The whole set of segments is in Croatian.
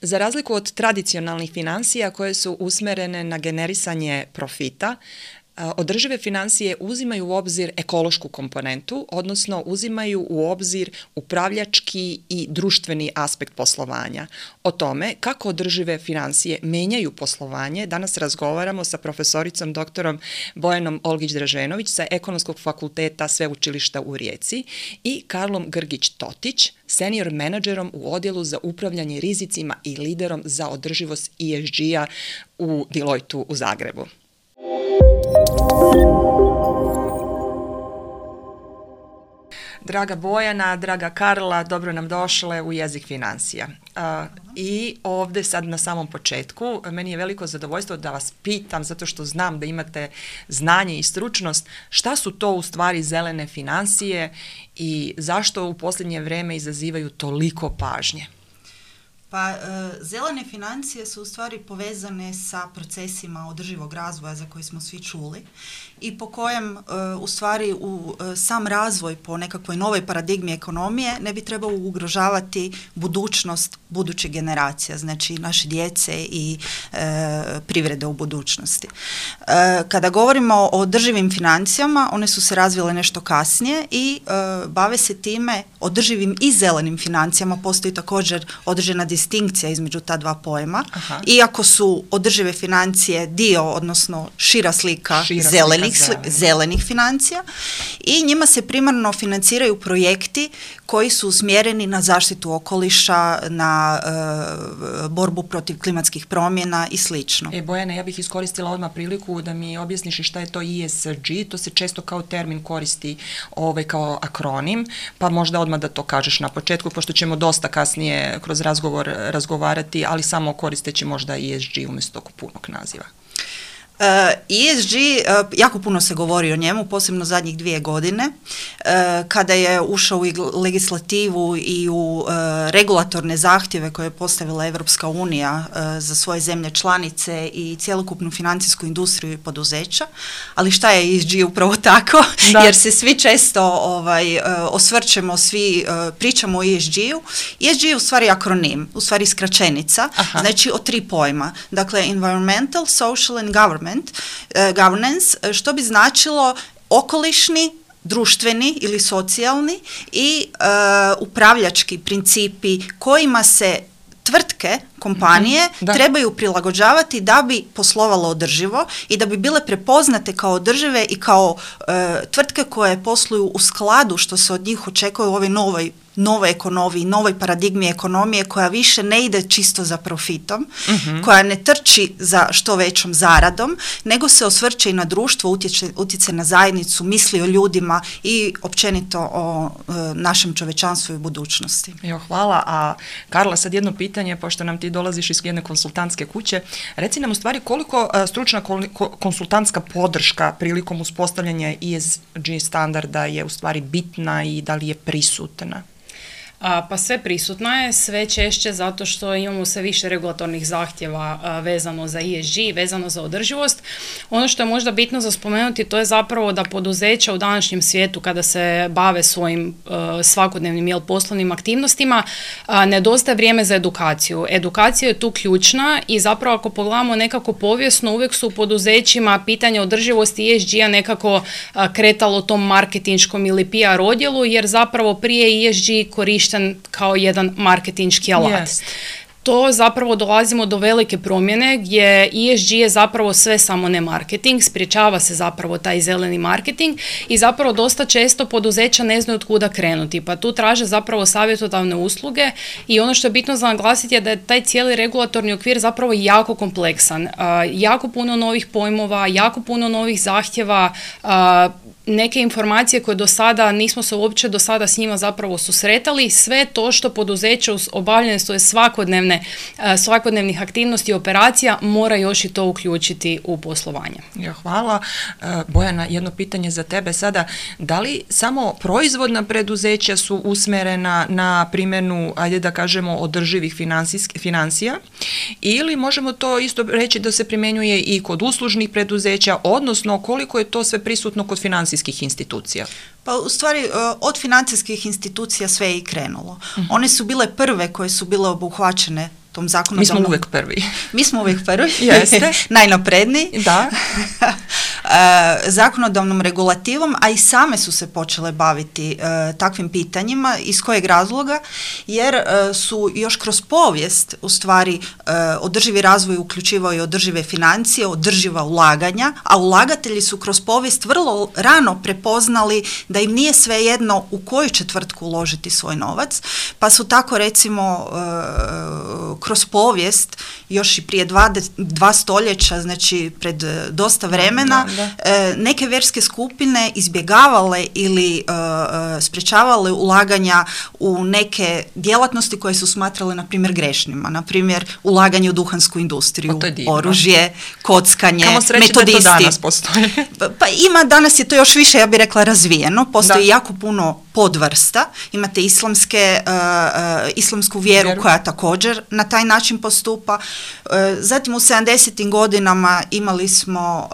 Za razliku od tradicionalnih financija koje su usmerene na generisanje profita, održive financije uzimaju u obzir ekološku komponentu, odnosno uzimaju u obzir upravljački i društveni aspekt poslovanja. O tome kako održive financije menjaju poslovanje danas razgovaramo sa profesoricom doktorom Bojanom Olgić-Draženović sa Ekonomskog fakulteta Sveučilišta u Rijeci i Karlom Grgić-Totić, senior menadžerom u odjelu za upravljanje rizicima i liderom za održivost ESG-a u Deloitu u Zagrebu. Draga Bojana, draga Karla, dobro nam došle u Jezik financija. I ovdje sad na samom početku, meni je veliko zadovoljstvo da vas pitam, zato što znam da imate znanje i stručnost, šta su to u stvari zelene financije i zašto u posljednje vrijeme izazivaju toliko pažnje? Pa zelene financije su u stvari povezane sa procesima održivog razvoja za koji smo svi čuli i po kojem u stvari sam razvoj po nekakvoj novoj paradigmi ekonomije ne bi trebao ugrožavati budućnost budućih generacija, znači naše djece i privrede u budućnosti. Kada govorimo o održivim financijama, one su se razvile nešto kasnije i bave se time održivim i zelenim financijama, postoji također određena distinkcija između ta dva pojma. Aha. Iako su održive financije dio, odnosno šira slika zelenih financija i njima se primarno financiraju projekti koji su usmjereni na zaštitu okoliša, na borbu protiv klimatskih promjena i slično. Bojana, ja bih iskoristila odmah priliku da mi objasniš šta je to ESG, to se često kao termin koristi kao akronim, pa možda odmah da to kažeš na početku, pošto ćemo dosta kasnije kroz razgovor razgovarati, ali samo koristeći možda ESG umjesto punog naziva. ESG, jako puno se govori o njemu, posebno zadnjih 2 godine, kada je ušao u legislativu i u regulatorne zahtjeve koje je postavila Europska unija za svoje zemlje članice i cjelokupnu financijsku industriju i poduzeća. Ali šta je ESG upravo tako? Da. Jer se svi često osvrćemo, svi pričamo o ESG-u. ESG je u stvari akronim, u stvari skraćenica, znači o 3 pojma. Dakle, environmental, social and governance, što bi značilo okolišni, društveni ili socijalni i upravljački principi kojima se tvrtke, kompanije trebaju prilagođavati da bi poslovalo održivo i da bi bile prepoznate kao održive i kao tvrtke koje posluju u skladu što se od njih očekuje u ovoj novoj ekonomiji, novoj paradigmi ekonomije koja više ne ide čisto za profitom, koja ne trči za što većom zaradom, nego se osvrće i na društvo, utječe na zajednicu, misli o ljudima i općenito o našem čovečanstvu i budućnosti. Hvala. A Karla, sad jedno pitanje, pošto nam ti dolaziš iz jedne konsultantske kuće. Reci nam u stvari koliko stručna konsultantska podrška prilikom uspostavljanja ESG standarda je u stvari bitna i da li je prisutna? Pa sve prisutna je, sve češće zato što imamo sve više regulatornih zahtjeva vezano za ESG, vezano za održivost. Ono što je možda bitno za spomenuti, to je zapravo da poduzeća u današnjem svijetu kada se bave svojim svakodnevnim poslovnim aktivnostima, nedostaje vrijeme za edukaciju. Edukacija je tu ključna i zapravo ako pogledamo nekako povijesno, uvijek su u poduzećima pitanje održivosti ESG-a nekako kretalo tom marketinškom ili PR odjelu, jer zapravo prije ESG korišten kao jedan marketinški alat. Yes. To zapravo dolazimo do velike promjene gdje ESG je zapravo sve samo ne marketing, sprječava se zapravo taj zeleni marketing i zapravo dosta često poduzeća ne znaju od kuda krenuti, pa tu traže zapravo savjetodavne usluge i ono što je bitno za naglasiti je da je taj cijeli regulatorni okvir zapravo jako kompleksan, jako puno novih pojmova, jako puno novih zahtjeva, neke informacije koje do sada nismo se uopće do sada s njima zapravo susretali, sve to što poduzeće obavljene svoje svakodnevnih aktivnosti i operacija mora još i to uključiti u poslovanje. Hvala. Bojana, jedno pitanje za tebe sada. Da li samo proizvodna preduzeća su usmjerena na primjenu, ajde da kažemo, održivih financija ili možemo to isto reći da se primjenjuje i kod uslužnih preduzeća, odnosno koliko je to sve prisutno kod financijskih institucija? Pa u stvari od financijskih institucija sve je i krenulo. One su bile prve koje su bile obuhvaćene tom zakonodavnom... Mi smo uvijek prvi. Mi smo uvijek prvi. Jeste. Najnapredniji. Da. Zakonodavnom regulativom, a i same su se počele baviti takvim pitanjima. Iz kojeg razloga? Jer su još kroz povijest u stvari održivi razvoj uključivao i održive financije, održiva ulaganja, a ulagatelji su kroz povijest vrlo rano prepoznali da im nije svejedno u koju će tvrtku uložiti svoj novac, pa su tako recimo kroz povijest još i prije dva stoljeća, znači pred dosta vremena, neke vjerske skupine izbjegavale ili sprečavale ulaganja u neke djelatnosti koje su smatrale, na primjer, grešnima. Na primjer, ulaganje u duhansku industriju, oružje, kockanje, metodisti. To danas postoji. Pa ima, danas je to još više, ja bih rekla, razvijeno. Postoji jako puno podvrsta. Imate islamsku vjeru koja također na taj način postupa. Zatim u 70. godinama imali smo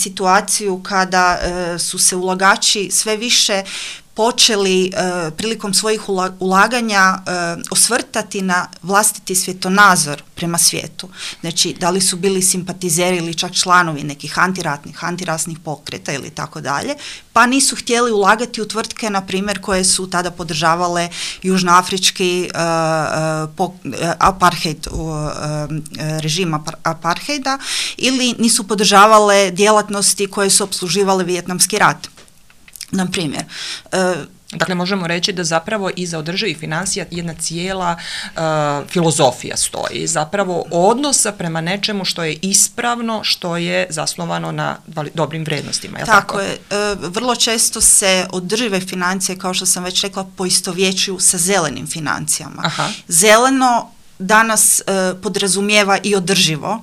situaciju kada su se ulagači sve više počeli prilikom svojih ulaganja osvrtati na vlastiti svjetonazor prema svijetu. Znači, da li su bili simpatizeri ili čak članovi nekih antirasnih pokreta ili tako dalje, pa nisu htjeli ulagati u tvrtke, na primjer, koje su tada podržavale južnoafrički apartheid, režim apartheida, ili nisu podržavale djelatnosti koje su opsluživale Vijetnamski rat. Na primjer, dakle, možemo reći da zapravo iza održivih financija jedna cijela filozofija stoji, zapravo odnosa prema nečemu što je ispravno, što je zasnovano na dobrim vrijednostima. Tako je. Vrlo često se održive financije, kao što sam već rekla, poistovjećuju sa zelenim financijama. Aha. Zeleno danas podrazumijeva i održivo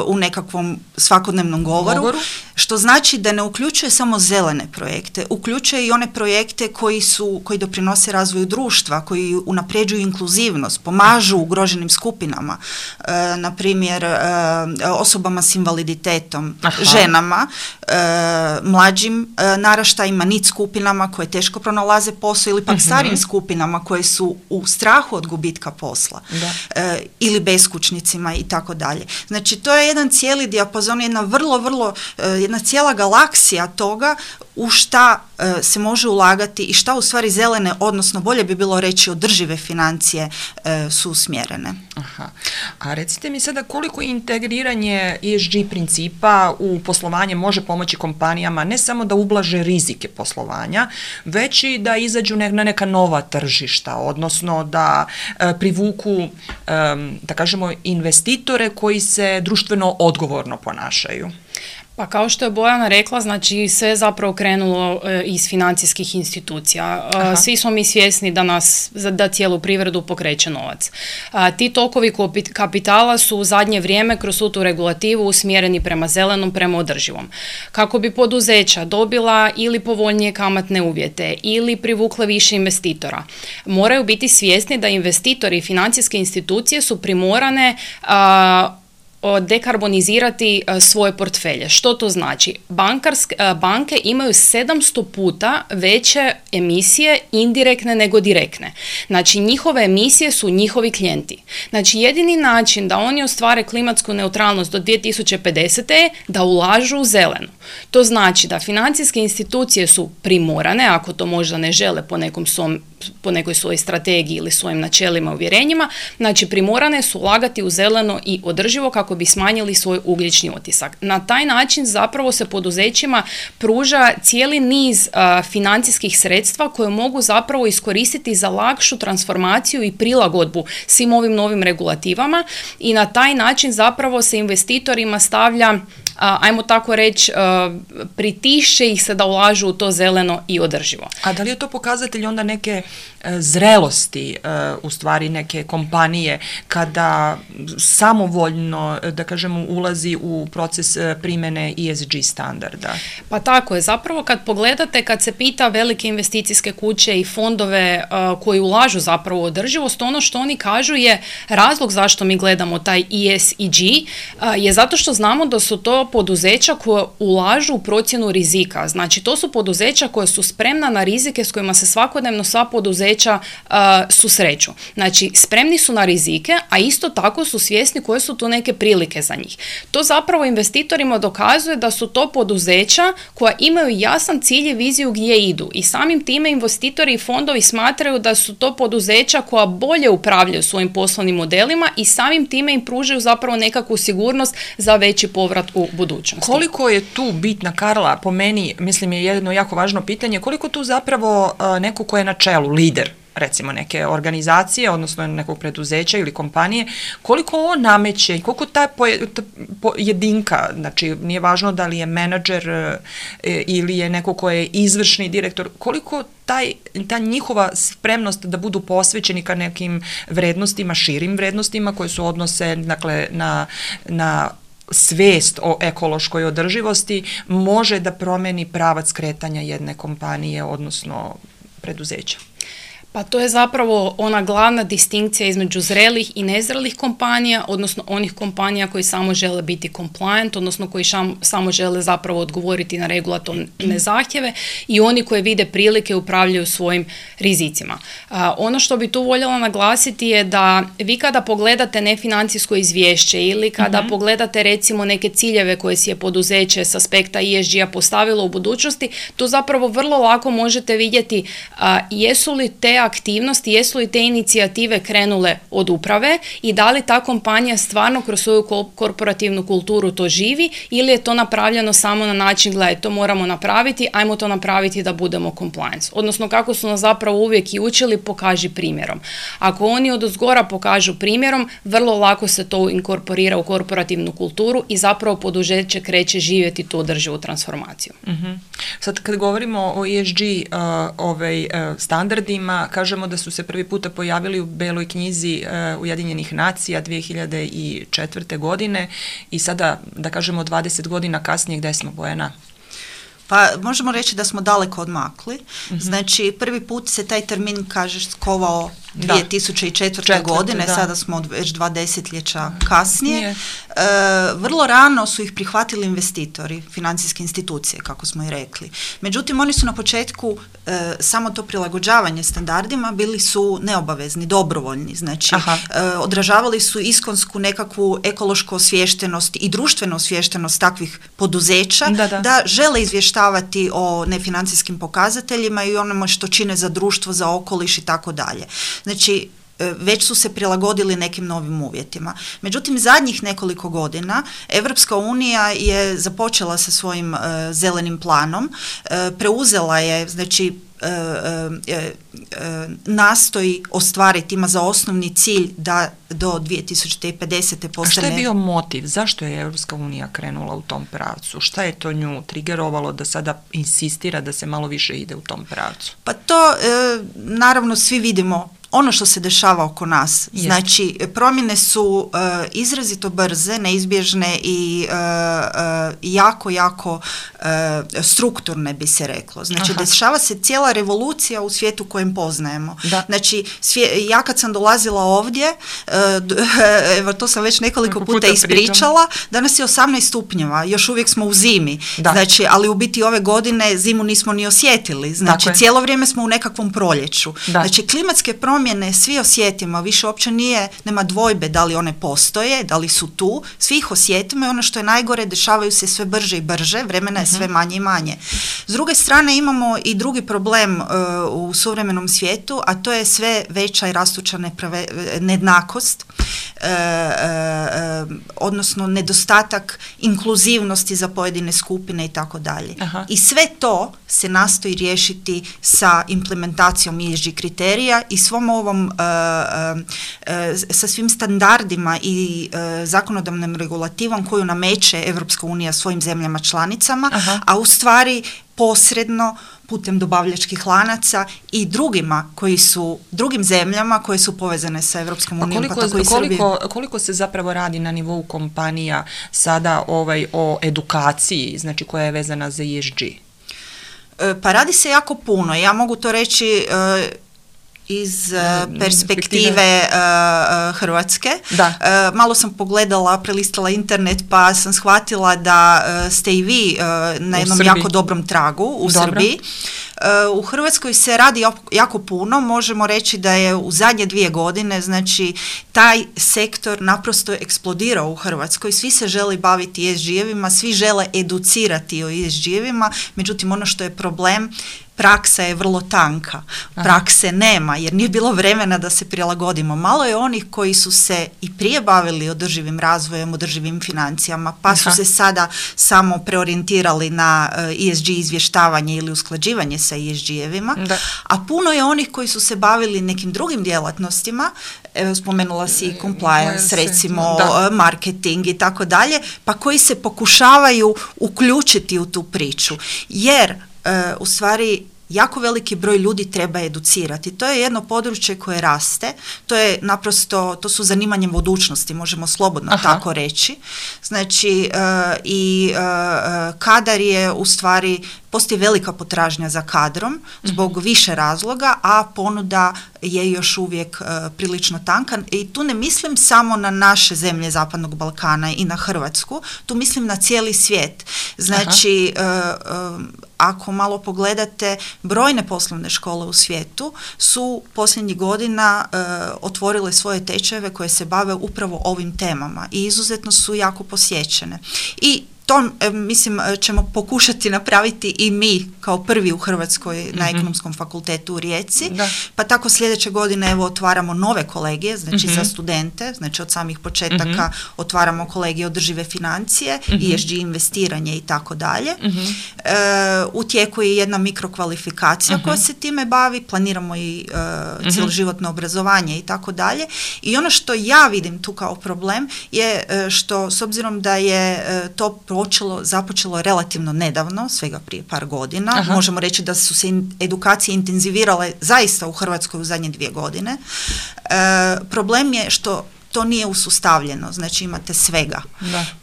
u nekakvom svakodnevnom govoru, što znači da ne uključuje samo zelene projekte, uključuje i one projekte koji doprinose razvoju društva, koji unapređuju inkluzivnost, pomažu ugroženim skupinama, na primjer osobama s invaliditetom, ženama, mlađim naraštajima, NEET skupinama koje teško pronalaze posao, ili pak starijim skupinama koje su u strahu od gubitka posla. Ili beskućnicima i tako dalje. Znači, to je jedan cijeli dijapazon, jedna cijela galaksija toga u šta se može ulagati i šta u stvari zelene, odnosno bolje bi bilo reći održive financije su usmjerene. Aha. A recite mi sada koliko integriranje ESG principa u poslovanje može pomoći kompanijama ne samo da ublaže rizike poslovanja, već i da izađu na neka nova tržišta, odnosno da privuku, da kažemo, investitore koji se društveno odgovorno ponašaju. Pa kao što je Bojana rekla, znači sve je zapravo krenulo iz financijskih institucija. Svi smo mi svjesni da cijelu privredu pokreće novac. Ti tokovi kapitala su u zadnje vrijeme kroz tu regulativu usmjereni prema zelenom, prema održivom. Kako bi poduzeća dobila ili povoljnije kamatne uvjete ili privukle više investitora, moraju biti svjesni da investitori i financijske institucije su primorane dekarbonizirati svoje portfelje. Što to znači? Banke imaju 700 puta veće emisije indirektne nego direktne. Znači, njihove emisije su njihovi klijenti. Znači, jedini način da oni ostvare klimatsku neutralnost do 2050. je da ulažu u zeleno. To znači da financijske institucije su primorane, ako to možda ne žele po nekoj svojoj strategiji ili svojim načelima i uvjerenjima, znači primorane su ulagati u zeleno i održivo kako bi smanjili svoj ugljični otisak. Na taj način zapravo se poduzećima pruža cijeli niz financijskih sredstva koje mogu zapravo iskoristiti za lakšu transformaciju i prilagodbu svim ovim novim regulativama i na taj način zapravo se investitorima stavlja, ajmo tako reći, pritišće ih se da ulažu u to zeleno i održivo. A da li je to pokazatelj onda neke zrelosti, u stvari neke kompanije, kada samovoljno, da kažemo, ulazi u proces primjene ESG standarda? Pa tako je. Zapravo kad pogledate, kad se pita velike investicijske kuće i fondove koji ulažu zapravo u održivost, ono što oni kažu je razlog zašto mi gledamo taj ESG je zato što znamo da su to to poduzeća koje ulažu u procjenu rizika. Znači, to su poduzeća koje su spremna na rizike s kojima se svakodnevno sva poduzeća susreću. Znači, spremni su na rizike, a isto tako su svjesni koje su tu neke prilike za njih. To zapravo investitorima dokazuje da su to poduzeća koja imaju jasan cilj i viziju gdje idu. I samim time investitori i fondovi smatraju da su to poduzeća koja bolje upravljaju svojim poslovnim modelima i samim time im pružaju zapravo nekakvu sigurnost za veći povrat u budućnosti. Koliko je tu bitna, Karla, po meni, mislim je jedno jako važno pitanje, koliko tu zapravo neko ko je na čelu, lider, recimo neke organizacije, odnosno nekog preduzeća ili kompanije, koliko on nameće, koliko ta jedinka, znači nije važno da li je menadžer ili je neko ko je izvršni direktor, koliko ta njihova spremnost da budu posvećeni ka nekim vrednostima, širim vrednostima koje su odnose, dakle, na svijest o ekološkoj održivosti može da promeni pravac kretanja jedne kompanije, odnosno preduzeća. Pa to je zapravo ona glavna distinkcija između zrelih i nezrelih kompanija, odnosno onih kompanija koji samo žele biti compliant, odnosno koji samo žele zapravo odgovoriti na regulatorne zahtjeve i oni koji vide prilike upravljaju svojim rizicima. Ono što bi tu voljela naglasiti je da vi kada pogledate nefinancijsko izvješće ili kada pogledate recimo neke ciljeve koje si je poduzeće s aspekta ESG-a postavilo u budućnosti, tu zapravo vrlo lako možete vidjeti jesu li te aktivnosti, jesu li te inicijative krenule od uprave i da li ta kompanija stvarno kroz svoju korporativnu kulturu to živi ili je to napravljeno samo na način, gledaj, to moramo napraviti, ajmo to napraviti da budemo compliance. Odnosno, kako su nas zapravo uvijek i učili, pokaži primjerom. Ako oni odozgora pokažu primjerom, vrlo lako se to inkorporira u korporativnu kulturu i zapravo poduzeće kreće živjeti tu održivu transformaciju. Sad, kad govorimo o ESG standardima, kažemo da su se prvi puta pojavili u Beloj knjizi Ujedinjenih nacija 2004. godine i sada, da kažemo, 20 godina kasnije, gde smo, Bojana? Pa možemo reći da smo daleko odmakli. Znači, prvi put se taj termin, kažeš, skovao 2004. godine, sada smo već 2 desetljeća kasnije. Vrlo rano su ih prihvatili investitori, financijske institucije, kako smo i rekli. Međutim, oni su na početku samo to prilagođavanje standardima bili su neobavezni, dobrovoljni. Znači, odražavali su iskonsku nekakvu ekološku osviještenost i društvenu osviještenost takvih poduzeća da žele izvještavati o nefinancijskim pokazateljima i onome što čine za društvo, za okoliš i tako dalje. Znači, već su se prilagodili nekim novim uvjetima. Međutim, zadnjih nekoliko godina Europska unija je započela sa svojim zelenim planom, preuzela je, znači, nastoji ostvariti, ima za osnovni cilj da do 2050. postane... A što je bio motiv? Zašto je Europska unija krenula u tom pravcu? Šta je to nju trigerovalo da sada insistira da se malo više ide u tom pravcu? Pa to, naravno, svi vidimo ono što se dešava oko nas. Znači, promjene su izrazito brze, neizbježne i jako strukturne, bi se reklo. Znači, dešava se cijela revolucija u svijetu kojem poznajemo. Znači, ja kad sam dolazila ovdje, evo, to sam već nekoliko puta ispričala, danas je 18 stupnjeva, još uvijek smo u zimi. Znači, ali u biti ove godine zimu nismo ni osjetili. Znači, cijelo vrijeme smo u nekakvom proljeću. Znači, klimatske promjene svi osjetimo, više uopće nema dvojbe da li one postoje, da li su tu, svi ih osjetimo i ono što je najgore, dešavaju se sve brže i brže, vremena je sve manje i manje. S druge strane imamo i drugi problem u suvremenom svijetu, a to je sve veća i rastuća nejednakost, odnosno nedostatak inkluzivnosti za pojedine skupine i tako dalje. I sve to se nastoji riješiti sa implementacijom ESG kriterija i svom ovom, sa svim standardima i zakonodavnom regulativom koju nameće Europska unija svojim zemljama članicama, a u stvari posredno putem dobavljačkih lanaca i drugim zemljama koje su povezane sa Europskom unijom, pa tako i Srbije. Koliko se zapravo radi na nivou kompanija sada o edukaciji, znači koja je vezana za ESG? Pa radi se jako puno. Ja mogu to reći iz perspektive Hrvatske. Malo sam pogledala, prelistala internet pa sam shvatila da ste i vi na jednom jako dobrom tragu u Srbiji. U Hrvatskoj se radi jako puno, možemo reći da je u zadnje 2 godine, znači taj sektor naprosto eksplodirao u Hrvatskoj, svi se žele baviti ESG-evima, svi žele educirati o ESG-evima, međutim ono što je problem, praksa je vrlo tanka, prakse nema jer nije bilo vremena da se prilagodimo. Malo je onih koji su se i prije bavili održivim razvojem, održivim financijama, pa su se sada samo preorijentirali na ESG izvještavanje ili usklađivanje sa ESG-evima, a puno je onih koji su se bavili nekim drugim djelatnostima, spomenula si compliance, recimo marketing i tako dalje, pa koji se pokušavaju uključiti u tu priču, jer u stvari jako veliki broj ljudi treba educirati. To je jedno područje koje raste, to je naprosto, to su zanimanje budućnosti, možemo slobodno tako reći. Znači, kadar je u stvari, postoji velika potražnja za kadrom zbog više razloga, a ponuda je još uvijek prilično tanka. I tu ne mislim samo na naše zemlje Zapadnog Balkana i na Hrvatsku, tu mislim na cijeli svijet. Znači, ako malo pogledate, brojne poslovne škole u svijetu su posljednjih godina otvorile svoje tečajeve koje se bave upravo ovim temama i izuzetno su jako posjećene. I to, mislim, ćemo pokušati napraviti i mi kao prvi u Hrvatskoj na Ekonomskom fakultetu u Rijeci, pa tako sljedeće godine evo otvaramo nove kolegije, znači za studente, znači od samih početaka otvaramo kolegije održive financije, ESG investiranje i tako dalje. U tijeku je jedna mikrokvalifikacija koja se time bavi, planiramo i cjeloživotno obrazovanje i tako dalje. I ono što ja vidim tu kao problem je što, s obzirom da je to započelo relativno nedavno, svega prije par godina. Možemo reći da su se edukacije intenzivirale zaista u Hrvatskoj u zadnje 2 godine. Problem je što to nije usustavljeno, znači imate svega.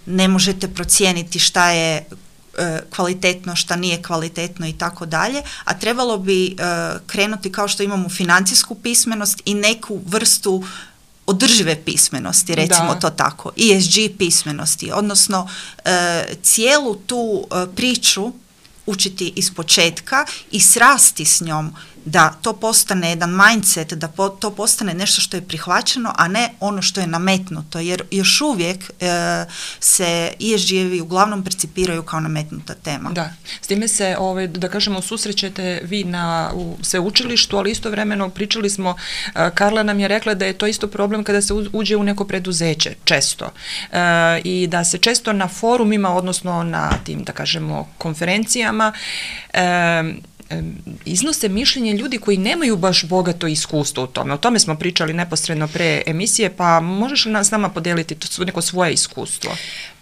Ne možete procijeniti šta je kvalitetno, šta nije kvalitetno i tako dalje, a trebalo bi krenuti kao što imamo financijsku pismenost i neku vrstu održive pismenosti, recimo to tako, ESG pismenosti, odnosno cijelu tu priču učiti iz početka i srasti s njom da to postane jedan mindset, da to postane nešto što je prihvaćeno, a ne ono što je nametnuto, jer još uvijek se ESG-evi uglavnom percipiraju kao nametnuta tema. Da, s time se, da kažemo, susrećete vi u sveučilištu, ali istovremeno pričali smo, Karla nam je rekla da je to isto problem kada se uđe u neko preduzeće, često. I da se često na forumima, odnosno na tim, da kažemo, konferencijama, iznose mišljenje ljudi koji nemaju baš bogato iskustvo u tome. O tome smo pričali neposredno pre emisije, pa možeš li s nama podijeliti neko svoje iskustvo?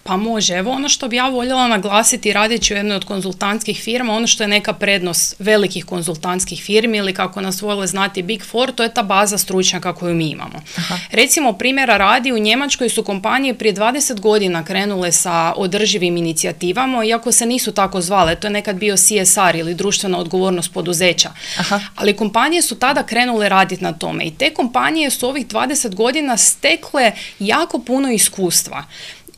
Pa može. Evo ono što bi ja voljela naglasiti radeći u jednoj od konzultantskih firma, ono što je neka prednost velikih konzultantskih firmi ili kako nas vole znati Big Four, to je ta baza stručnjaka koju mi imamo. Recimo primjera radi, u Njemačkoj su kompanije prije 20 godina krenule sa održivim inicijativama, iako se nisu tako zvale, to je nekad bio CSR ili društvena odgovornost poduzeća. Ali kompanije su tada krenule raditi na tome i te kompanije su ovih 20 godina stekle jako puno iskustva.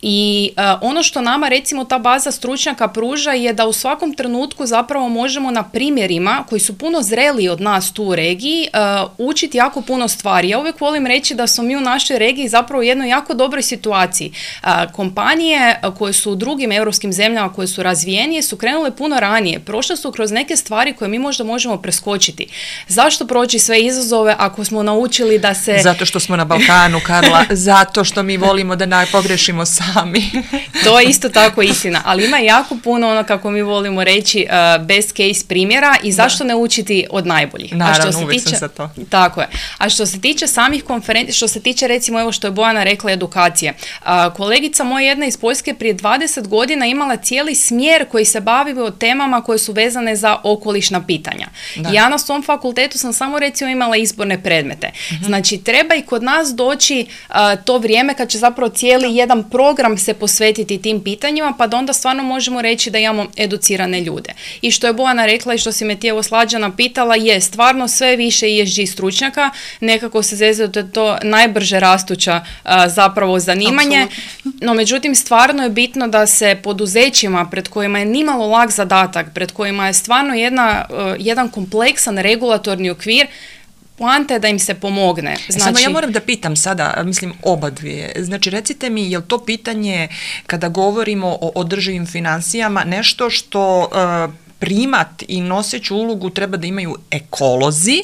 I ono što nama recimo ta baza stručnjaka pruža je da u svakom trenutku zapravo možemo na primjerima koji su puno zreliji od nas tu u regiji učiti jako puno stvari. Ja uvijek volim reći da smo mi u našoj regiji zapravo u jednoj jako dobroj situaciji. Kompanije koje su u drugim europskim zemljama koje su razvijenije su krenule puno ranije. Prošle su kroz neke stvari koje mi možda možemo preskočiti. Zašto proći sve izazove ako smo naučili da se... Zato što smo na Balkanu, Karla, zato što mi volimo da pogrešimo sami. To je isto tako istina, ali ima jako puno ono kako mi volimo reći best case primjera i zašto ne učiti od najboljih. Naravno, uvijek sam za to. Tako je. A što se tiče samih konferencija, što se tiče recimo evo što je Bojana rekla edukacije. Kolegica moja jedna iz Poljske prije 20 godina imala cijeli smjer koji se bavio temama koje su vezane za okolišna pitanja. Ja na svom fakultetu sam samo recimo imala izborne predmete. Znači treba i kod nas doći to vrijeme kad će zapravo cijeli jedan program program se posvetiti tim pitanjima, pa da onda stvarno možemo reći da imamo educirane ljude. I što je Bojana rekla i što si me ti evo Slađana pitala, je stvarno sve više ESG stručnjaka, nekako se zezaju da je to najbrže rastuća zapravo zanimanje, no međutim stvarno je bitno da se poduzećima pred kojima je nimalo lak zadatak, pred kojima je stvarno jedan kompleksan regulatorni okvir, poanta je da im se pomogne. Znači, samo ja moram da pitam sada, mislim oba dvije, znači recite mi, je li to pitanje kada govorimo o održivim financijama nešto što primat i noseću ulogu treba da imaju ekolozi,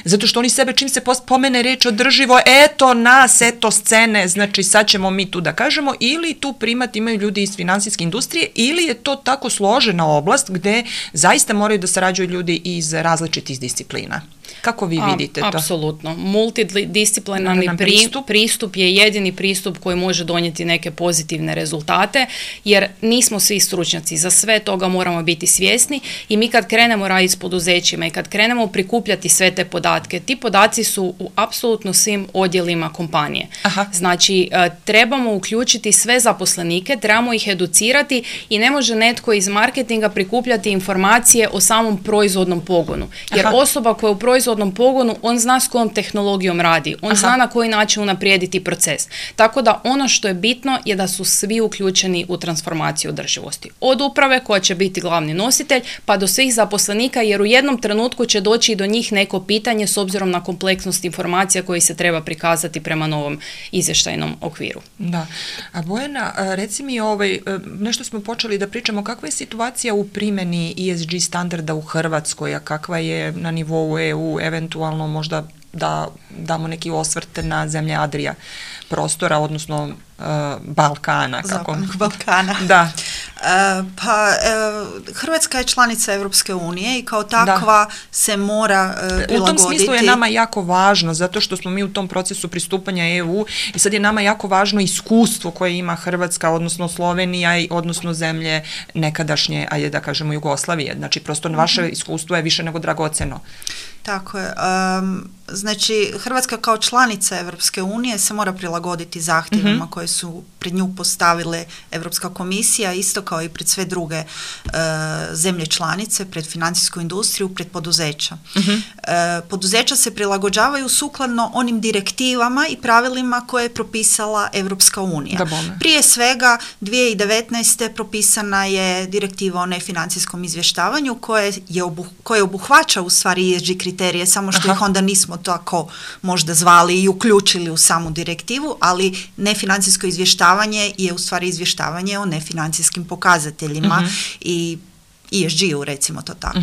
zato što oni sebe, čim se pomene reč održivo, eto nas, eto scene, znači sad ćemo mi tu da kažemo, ili tu primat imaju ljudi iz finansijske industrije, ili je to tako složena oblast gde zaista moraju da sarađuju ljudi iz različitih disciplina. Kako vi vidite to? Apsolutno. Multidisciplinarni pristup je jedini pristup koji može donijeti neke pozitivne rezultate, jer nismo svi stručnjaci, za sve toga moramo biti svjesni i mi kad krenemo raditi s poduzećima i kad krenemo prikupljati sve te podatke, ti podaci su u apsolutno svim odjelima kompanije. Aha. Znači, trebamo uključiti sve zaposlenike, trebamo ih educirati i ne može netko iz marketinga prikupljati informacije o samom proizvodnom pogonu. Jer osoba koja u proizvodnom pogonu, on zna s kojom tehnologijom radi, on zna na koji način unaprijediti proces. Tako da ono što je bitno je da su svi uključeni u transformaciju održivosti. Od uprave koja će biti glavni nositelj, pa do svih zaposlenika, jer u jednom trenutku će doći do njih neko pitanje s obzirom na kompleksnost informacija koji se treba prikazati prema novom izvještajnom okviru. Da. A Bojana, reci mi, nešto smo počeli da pričamo, kakva je situacija u primjeni ESG standarda u Hrvatskoj, a kakva je na nivou EU, eventualno možda da damo neki osvrt na zemlje Adrija prostora, odnosno Balkana. Zapadnog Balkana. Da. Hrvatska je članica Europske unije i kao takva se mora prilagoditi. U tom smislu je nama jako važno, zato što smo mi u tom procesu pristupanja EU i sad je nama jako važno iskustvo koje ima Hrvatska, odnosno Slovenija, odnosno zemlje nekadašnje, ajde da kažemo Jugoslavije. Znači, prosto vaše iskustvo je više nego dragoceno. Tako je. Znači, Hrvatska kao članica Europske unije se mora prilagoditi zahtjevima koje su pred nju postavile Europska komisija, isto kao i pred sve druge zemlje članice, pred financijsku industriju, pred poduzeća. Poduzeća se prilagođavaju sukladno onim direktivama i pravilima koje je propisala Europska unija. Prije svega, 2019. propisana je direktiva o nefinancijskom izvještavanju koje obuhvaća u stvari ESG kriterije, samo što ih onda nismo tako možda zvali i uključili u samu direktivu, ali nefinancijsko izvještavanje je u stvari izvještavanje o nefinancijskim pokazateljima i ESG-u, recimo to tako.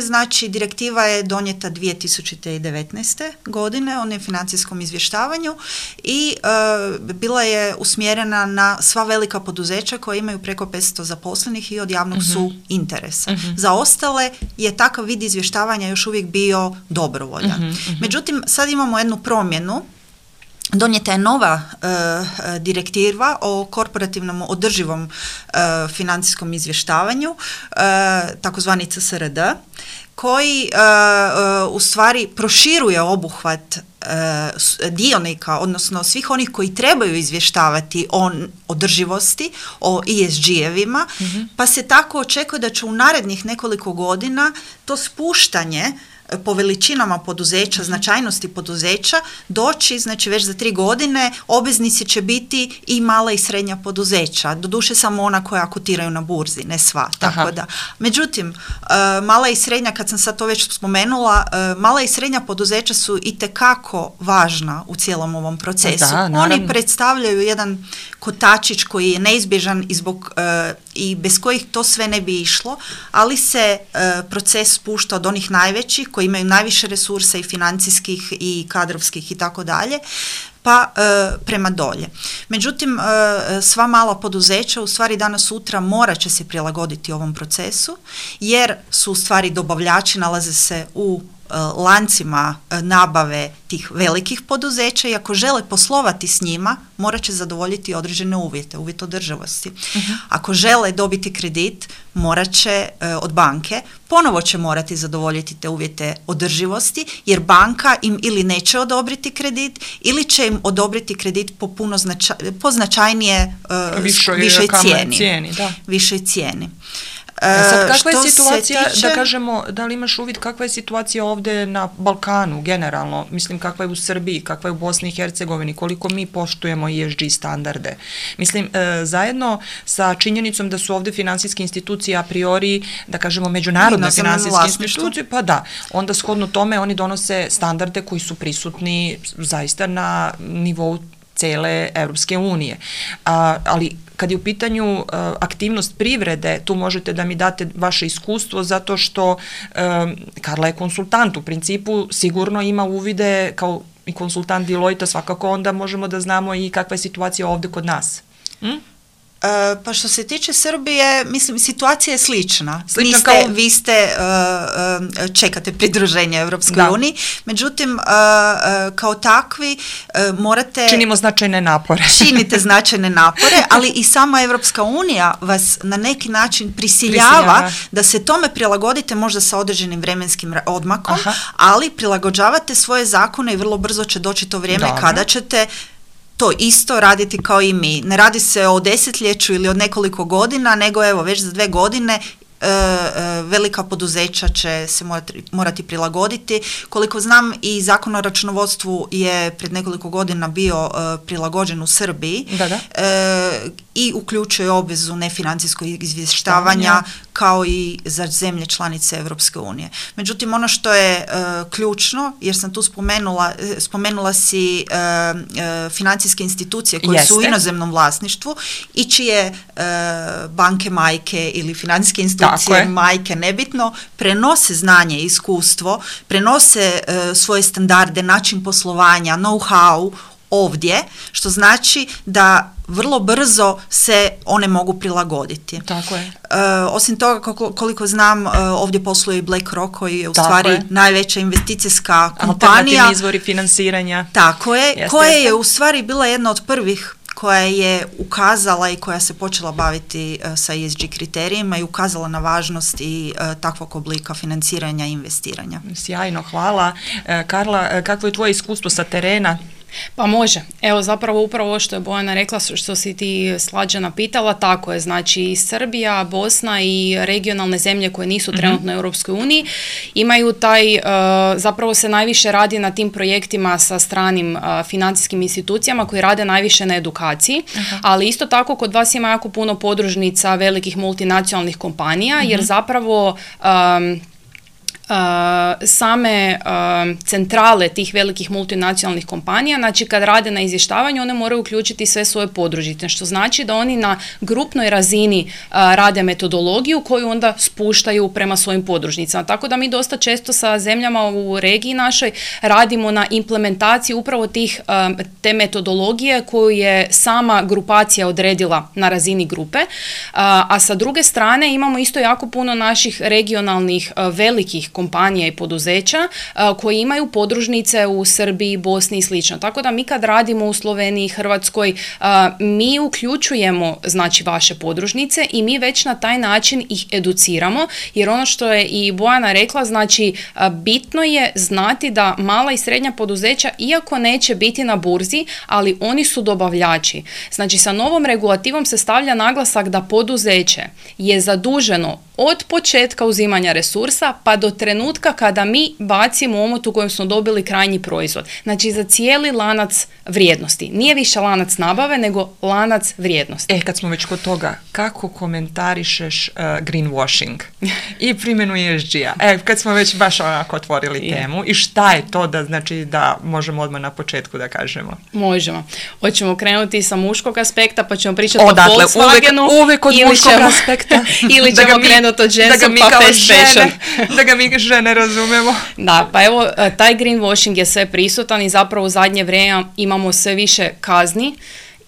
Znači, direktiva je donijeta 2019. godine o nefinancijskom izvještavanju i bila je usmjerena na sva velika poduzeća koja imaju preko 500 zaposlenih i od javnog su interesa. Za ostale je takav vid izvještavanja još uvijek bio dobrovoljan. Međutim, sad imamo jednu promjenu. Donijeta je nova direktiva o korporativnom održivom financijskom izvještavanju, takozvani CSRD, koji u stvari proširuje obuhvat dionika, odnosno svih onih koji trebaju izvještavati o održivosti, o ESG-evima, pa se tako očekuje da će u narednih nekoliko godina to spuštanje po veličinama poduzeća, značajnosti poduzeća, doći, znači već za 3 godine, obveznici će biti i mala i srednja poduzeća. Doduše samo ona koja kotiraju na burzi, ne sva. Tako da. Međutim, mala i srednja, kad sam sad to već spomenula, mala i srednja poduzeća su itekako važna u cijelom ovom procesu. Oni predstavljaju jedan kotačić koji je neizbježan i bez kojih to sve ne bi išlo, ali se proces spušta od onih najvećih koji imaju najviše resursa i financijskih i kadrovskih i tako dalje, pa prema dolje. Međutim, sva mala poduzeća u stvari danas sutra morat će se prilagoditi ovom procesu, jer su u stvari dobavljači, nalaze se u lancima nabave tih velikih poduzeća i ako žele poslovati s njima, morat će zadovoljiti određene uvjete, uvjet održivosti. Ako žele dobiti kredit, morat će od banke, ponovo će morati zadovoljiti te uvjete održivosti, jer banka im ili neće odobriti kredit, ili će im odobriti kredit po puno po značajnije višoj cijeni. Višoj cijeni. Sad, kakva je situacija, da kažemo, da li imaš uvid kakva je situacija ovdje na Balkanu generalno, mislim kakva je u Srbiji, kakva je u Bosni i Hercegovini, koliko mi poštujemo ESG standarde. Mislim, zajedno sa činjenicom da su ovdje finansijske institucije a priori, da kažemo, međunarodne finansijske institucije, pa da, onda shodno tome oni donose standarde koji su prisutni zaista na nivou cele Europske unije. Ali kad je u pitanju aktivnost privrede, tu možete da mi date vaše iskustvo, zato što Karla je konsultant, u principu sigurno ima uvide kao i konsultant Deloitte, svakako onda možemo da znamo i kakva je situacija ovdje kod nas. Pa što se tiče Srbije, mislim, situacija je slična. Vi čekate pridruženje Europskoj uniji, međutim, kao takvi morate... Činimo značajne napore. Činite značajne napore, ali i sama Europska unija vas na neki način prisiljava da se tome prilagodite, možda sa određenim vremenskim odmakom, ali prilagođavate svoje zakone i vrlo brzo će doći to vrijeme kada ćete to isto raditi kao i mi. Ne radi se o desetljeću ili od nekoliko godina, nego evo već za 2 godine velika poduzeća će se morati prilagoditi. Koliko znam, i Zakon o računovodstvu je pred nekoliko godina bio prilagođen u Srbiji i uključuje obvezu nefinancijskog izvještavanja kao i za zemlje članice Europske unije. Međutim, ono što je ključno, jer sam tu spomenula si financijske institucije koje su u inozemnom vlasništvu i čije banke majke ili financijske institucije majke, nebitno, prenose znanje i iskustvo, prenose svoje standarde, način poslovanja, know-how ovdje, što znači da vrlo brzo se one mogu prilagoditi. Tako je. Osim toga, koliko znam, ovdje posluje i BlackRock, koji je u stvari najveća investicijska kompanija. Alternativni izvori finansiranja. Tako je, koja je u stvari bila jedna od prvih koja je ukazala i koja se počela baviti sa ESG kriterijima i ukazala na važnost i takvog oblika financiranja i investiranja. Sjajno, hvala. Karla, kakvo je tvoje iskustvo sa terena? Pa može. Evo zapravo upravo ovo što je Bojana rekla, što si ti Slađana pitala, tako je. Znači Srbija, Bosna i regionalne zemlje koje nisu trenutno u Europskoj uniji imaju taj, zapravo se najviše radi na tim projektima sa stranim financijskim institucijama koji rade najviše na edukaciji, ali isto tako kod vas ima jako puno podružnica velikih multinacionalnih kompanija, jer zapravo same centrale tih velikih multinacionalnih kompanija, znači kad rade na izvještavanju, one moraju uključiti sve svoje podružnice, što znači da oni na grupnoj razini rade metodologiju koju onda spuštaju prema svojim podružnicama. Tako da mi dosta često sa zemljama u regiji našoj radimo na implementaciji upravo te metodologije koju je sama grupacija odredila na razini grupe, a sa druge strane imamo isto jako puno naših regionalnih velikih kompanija i poduzeća koji imaju podružnice u Srbiji, Bosni i slično. Tako da mi kad radimo u Sloveniji, Hrvatskoj, mi uključujemo znači vaše podružnice i mi već na taj način ih educiramo, jer ono što je i Bojana rekla, znači bitno je znati da mala i srednja poduzeća, iako neće biti na burzi, ali oni su dobavljači. Znači sa novom regulativom se stavlja naglasak da poduzeće je zaduženo od početka uzimanja resursa pa do trenutka kada mi bacimo omot u kojem smo dobili krajnji proizvod. Znači za cijeli lanac vrijednosti. Nije više lanac nabave, nego lanac vrijednosti. Kad smo već kod toga, kako komentarišeš greenwashing i primjenu ESG-a? Kad smo već baš onako otvorili temu, i šta je to da možemo odmah na početku da kažemo? Možemo. Hoćemo krenuti sa muškog aspekta, pa ćemo pričati o Volkswagenu. Uvijek od muškog aspekta. Ili ćemo krenuti od ženskog pa fast fashion. Da ga mi žene razumemo. Da, pa evo, taj greenwashing je sve prisutan i zapravo u zadnje vrijeme imamo sve više kazni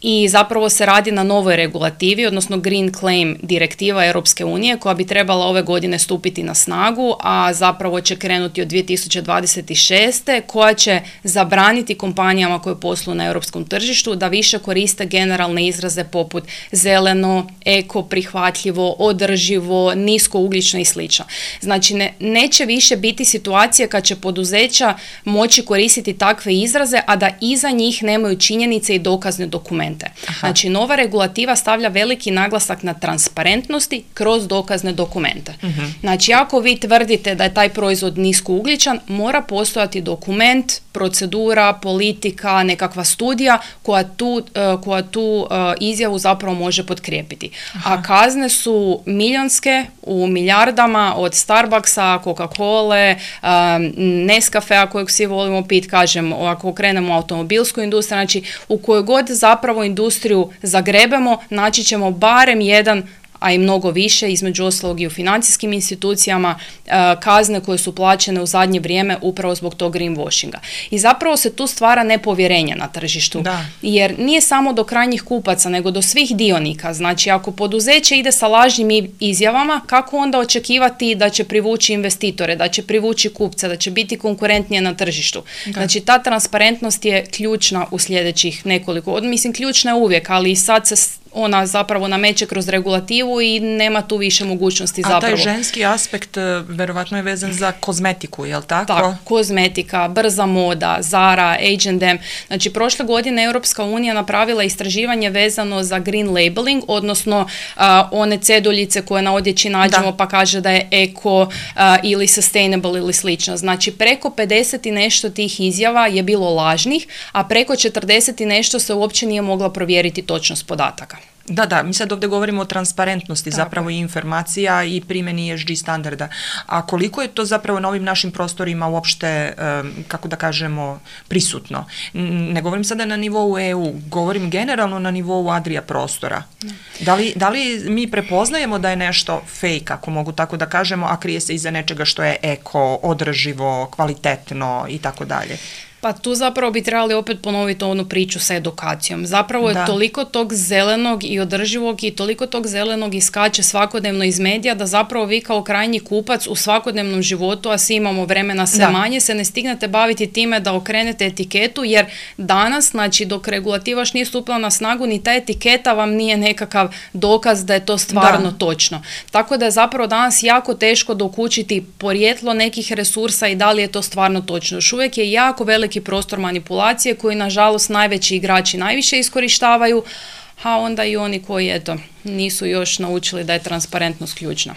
i zapravo se radi na novoj regulativi, odnosno Green Claim direktiva Europske unije koja bi trebala ove godine stupiti na snagu, a zapravo će krenuti od 2026. koja će zabraniti kompanijama koje posluju na europskom tržištu da više koriste generalne izraze poput zeleno, eko, prihvatljivo, održivo, niskougljično i slično. Znači neće više biti situacije kad će poduzeća moći koristiti takve izraze, a da iza njih nemaju činjenice i dokazne dokumente. Znači, nova regulativa stavlja veliki naglasak na transparentnosti kroz dokazne dokumente. Znači, ako vi tvrdite da je taj proizvod niskougljičan, mora postojati dokument, procedura, politika, nekakva studija koja tu izjavu zapravo može potkrijepiti. A kazne su milionske, u milijardama, od Starbucksa, Coca-Cole, Nescafea kojeg svi volimo pit, kažem, ako krenemo u automobilsku industriju, znači u kojoj god zapravo industriju zagrebemo, naći ćemo barem jedan, a i mnogo više, između ostalog i u financijskim institucijama, kazne koje su plaćene u zadnje vrijeme upravo zbog tog greenwashinga. I zapravo se tu stvara nepovjerenje na tržištu, jer nije samo do krajnjih kupaca, nego do svih dionika. Znači, ako poduzeće ide sa lažnim izjavama, kako onda očekivati da će privući investitore, da će privući kupce, da će biti konkurentnije na tržištu? Znači, ta transparentnost je ključna u sljedećih nekoliko, mislim, ključna je uvijek, ali sad se ona zapravo nameće kroz regulativu i nema tu više mogućnosti zapravo. A taj ženski aspekt verovatno je vezan za kozmetiku, je li tako? Tako, kozmetika, brza moda, Zara, H&M. Znači, prošle godine Europska unija napravila istraživanje vezano za green labeling, odnosno one ceduljice koje na odjeći nađemo pa kaže da je eko ili sustainable ili slično. Znači, preko 50 i nešto tih izjava je bilo lažnih, a preko 40 i nešto se uopće nije mogla provjeriti točnost podataka. Da, mi sad ovdje govorimo o transparentnosti zapravo i informacija i primjeni ESG standarda. A koliko je to zapravo na ovim našim prostorima uopšte, kako da kažemo, prisutno? Ne govorim sada na nivou EU, govorim generalno na nivou Adria prostora. Da li mi prepoznajemo da je nešto fake, ako mogu tako da kažemo, a krije se iza nečega što je eko, održivo, kvalitetno i tako dalje? Pa tu zapravo bi trebali opet ponoviti onu priču sa edukacijom. Zapravo je toliko tog zelenog i održivog i toliko tog zelenog iskače svakodnevno iz medija da zapravo vi kao krajnji kupac u svakodnevnom životu, a svi imamo vremena sve manje, se ne stignete baviti time da okrenete etiketu, jer danas, znači dok regulativa još nije stupila na snagu, ni ta etiketa vam nije nekakav dokaz da je to stvarno točno. Tako da je zapravo danas jako teško dokučiti porijeklo nekih resursa i da li je to stvarno točno. Još uvijek je jako veliki prostor manipulacije koji nažalost najveći igrači najviše iskorištavaju, a onda i oni koji nisu još naučili da je transparentnost ključna.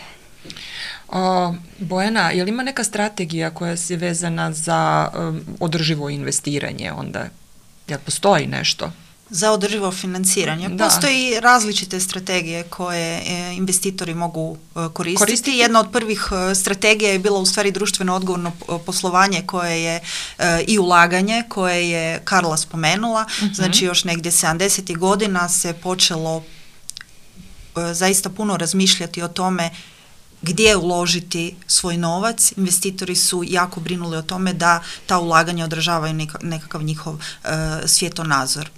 Bojana, je li ima neka strategija koja je vezana za održivo investiranje onda? Jel postoji nešto? Za održivo financiranje. Postoji različite strategije koje investitori mogu koristiti. Jedna od prvih strategija je bila u stvari društveno odgovorno poslovanje koje je i ulaganje koje je Karla spomenula. Znači još negdje 70. godina se počelo zaista puno razmišljati o tome gdje uložiti svoj novac. Investitori su jako brinuli o tome da ta ulaganja održavaju nekakav njihov svjetonazor.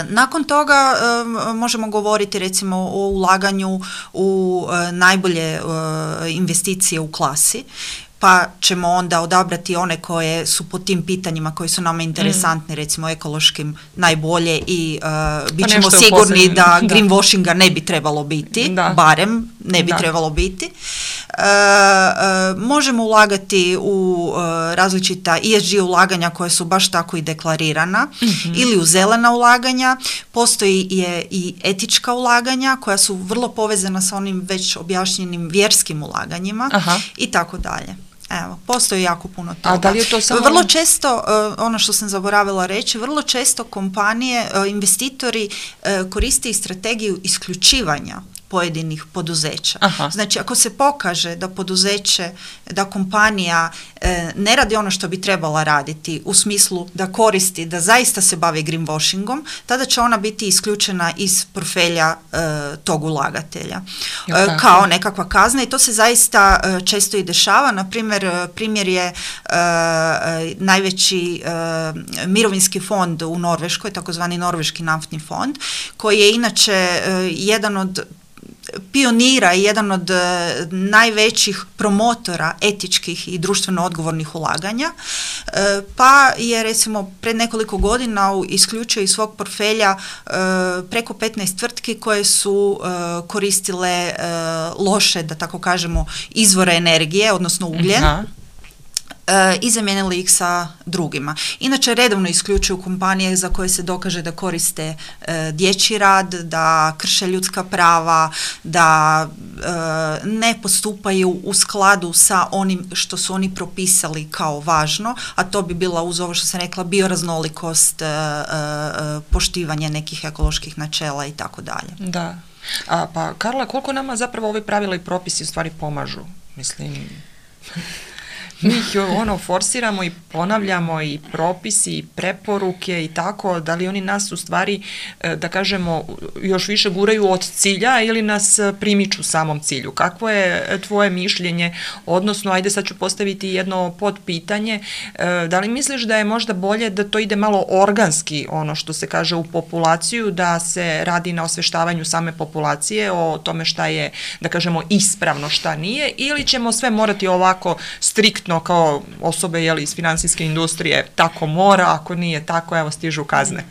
Nakon toga možemo govoriti recimo o ulaganju u najbolje investicije u klasi, pa ćemo onda odabrati one koje su po tim pitanjima koji su nama interesantni, recimo ekološkim najbolje i bit ćemo sigurni da greenwashinga ne bi trebalo biti, barem ne bi trebalo biti. Možemo ulagati u različita ESG ulaganja koje su baš tako i deklarirana ili u zelena ulaganja. Postoji i etička ulaganja koja su vrlo povezana sa onim već objašnjenim vjerskim ulaganjima i tako dalje. Evo, postoji jako puno toga. A da li je to samo... Vrlo često, ono što sam zaboravila reći, vrlo često kompanije, investitori koriste i strategiju isključivanja pojedinih poduzeća. Aha. Znači, ako se pokaže da poduzeće, da kompanija ne radi ono što bi trebala raditi u smislu da koristi, da zaista se bavi greenwashingom, tada će ona biti isključena iz portfelja tog ulagatelja. Kao nekakva kazna i to se zaista često i dešava. Na primjer je najveći mirovinski fond u Norveškoj, takozvani Norveški naftni fond, koji je inače jedan od pionira i jedan od najvećih promotora etičkih i društveno odgovornih ulaganja, pa je recimo pred nekoliko godina isključio iz svog portfelja preko 15 tvrtki koje su koristile loše, da tako kažemo, izvore energije, odnosno ugljen. Aha. I zamijenili ih sa drugima. Inače, redovno isključuju kompanije za koje se dokaže da koriste dječji rad, da krše ljudska prava, da ne postupaju u skladu sa onim što su oni propisali kao važno, a to bi bila, uz ovo što sam rekla, bioraznolikost, poštivanje nekih ekoloških načela i tako dalje. Da. Pa Karla, koliko nama zapravo ovi pravila i propisi u stvari pomažu? Mislim... Mi ih forsiramo i ponavljamo i propisi i preporuke i tako, da li oni nas u stvari, da kažemo, još više guraju od cilja ili nas primiču samom cilju? Kakvo je tvoje mišljenje, odnosno, ajde sad ću postaviti jedno podpitanje, da li misliš da je možda bolje da to ide malo organski, ono što se kaže u populaciju, da se radi na osveštavanju same populacije o tome šta je, da kažemo, ispravno, šta nije, ili ćemo sve morati ovako striktno kao osobe iz financijske industrije, tako mora, ako nije tako, evo stižu kazne.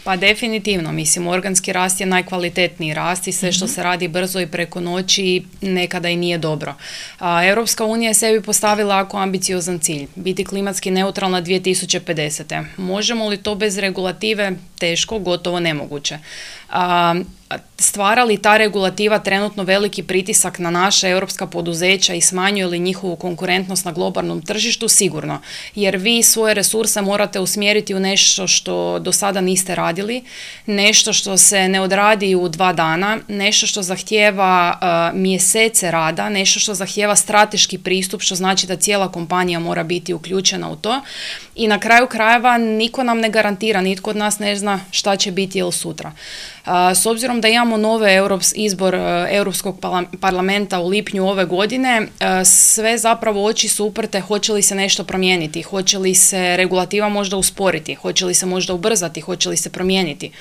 Pa definitivno, mislim, organski rast je najkvalitetniji rast i sve što se radi brzo i preko noći nekada i nije dobro. Europska unija je sebi postavila jako ambiciozan cilj, biti klimatski neutralna 2050. Možemo li to bez regulative? Teško, gotovo nemoguće. Stvara li ta regulativa trenutno veliki pritisak na naša europska poduzeća i smanjuje li njihovu konkurentnost na globalnom tržištu? Sigurno, jer vi svoje resurse morate usmjeriti u nešto što do sada niste radili, nešto što se ne odradi u 2 dana, nešto što zahtijeva mjesece rada, nešto što zahtijeva strateški pristup, što znači da cijela kompanija mora biti uključena u to i na kraju krajeva niko nam ne garantira, nitko od nas ne zna šta će biti ili sutra. S obzirom da imamo izbor Europskog parlamenta u lipnju ove godine, sve zapravo oči su uprte hoće li se nešto promijeniti, hoće li se regulativa možda usporiti, hoće li se možda ubrzati, hoće li se promijeniti.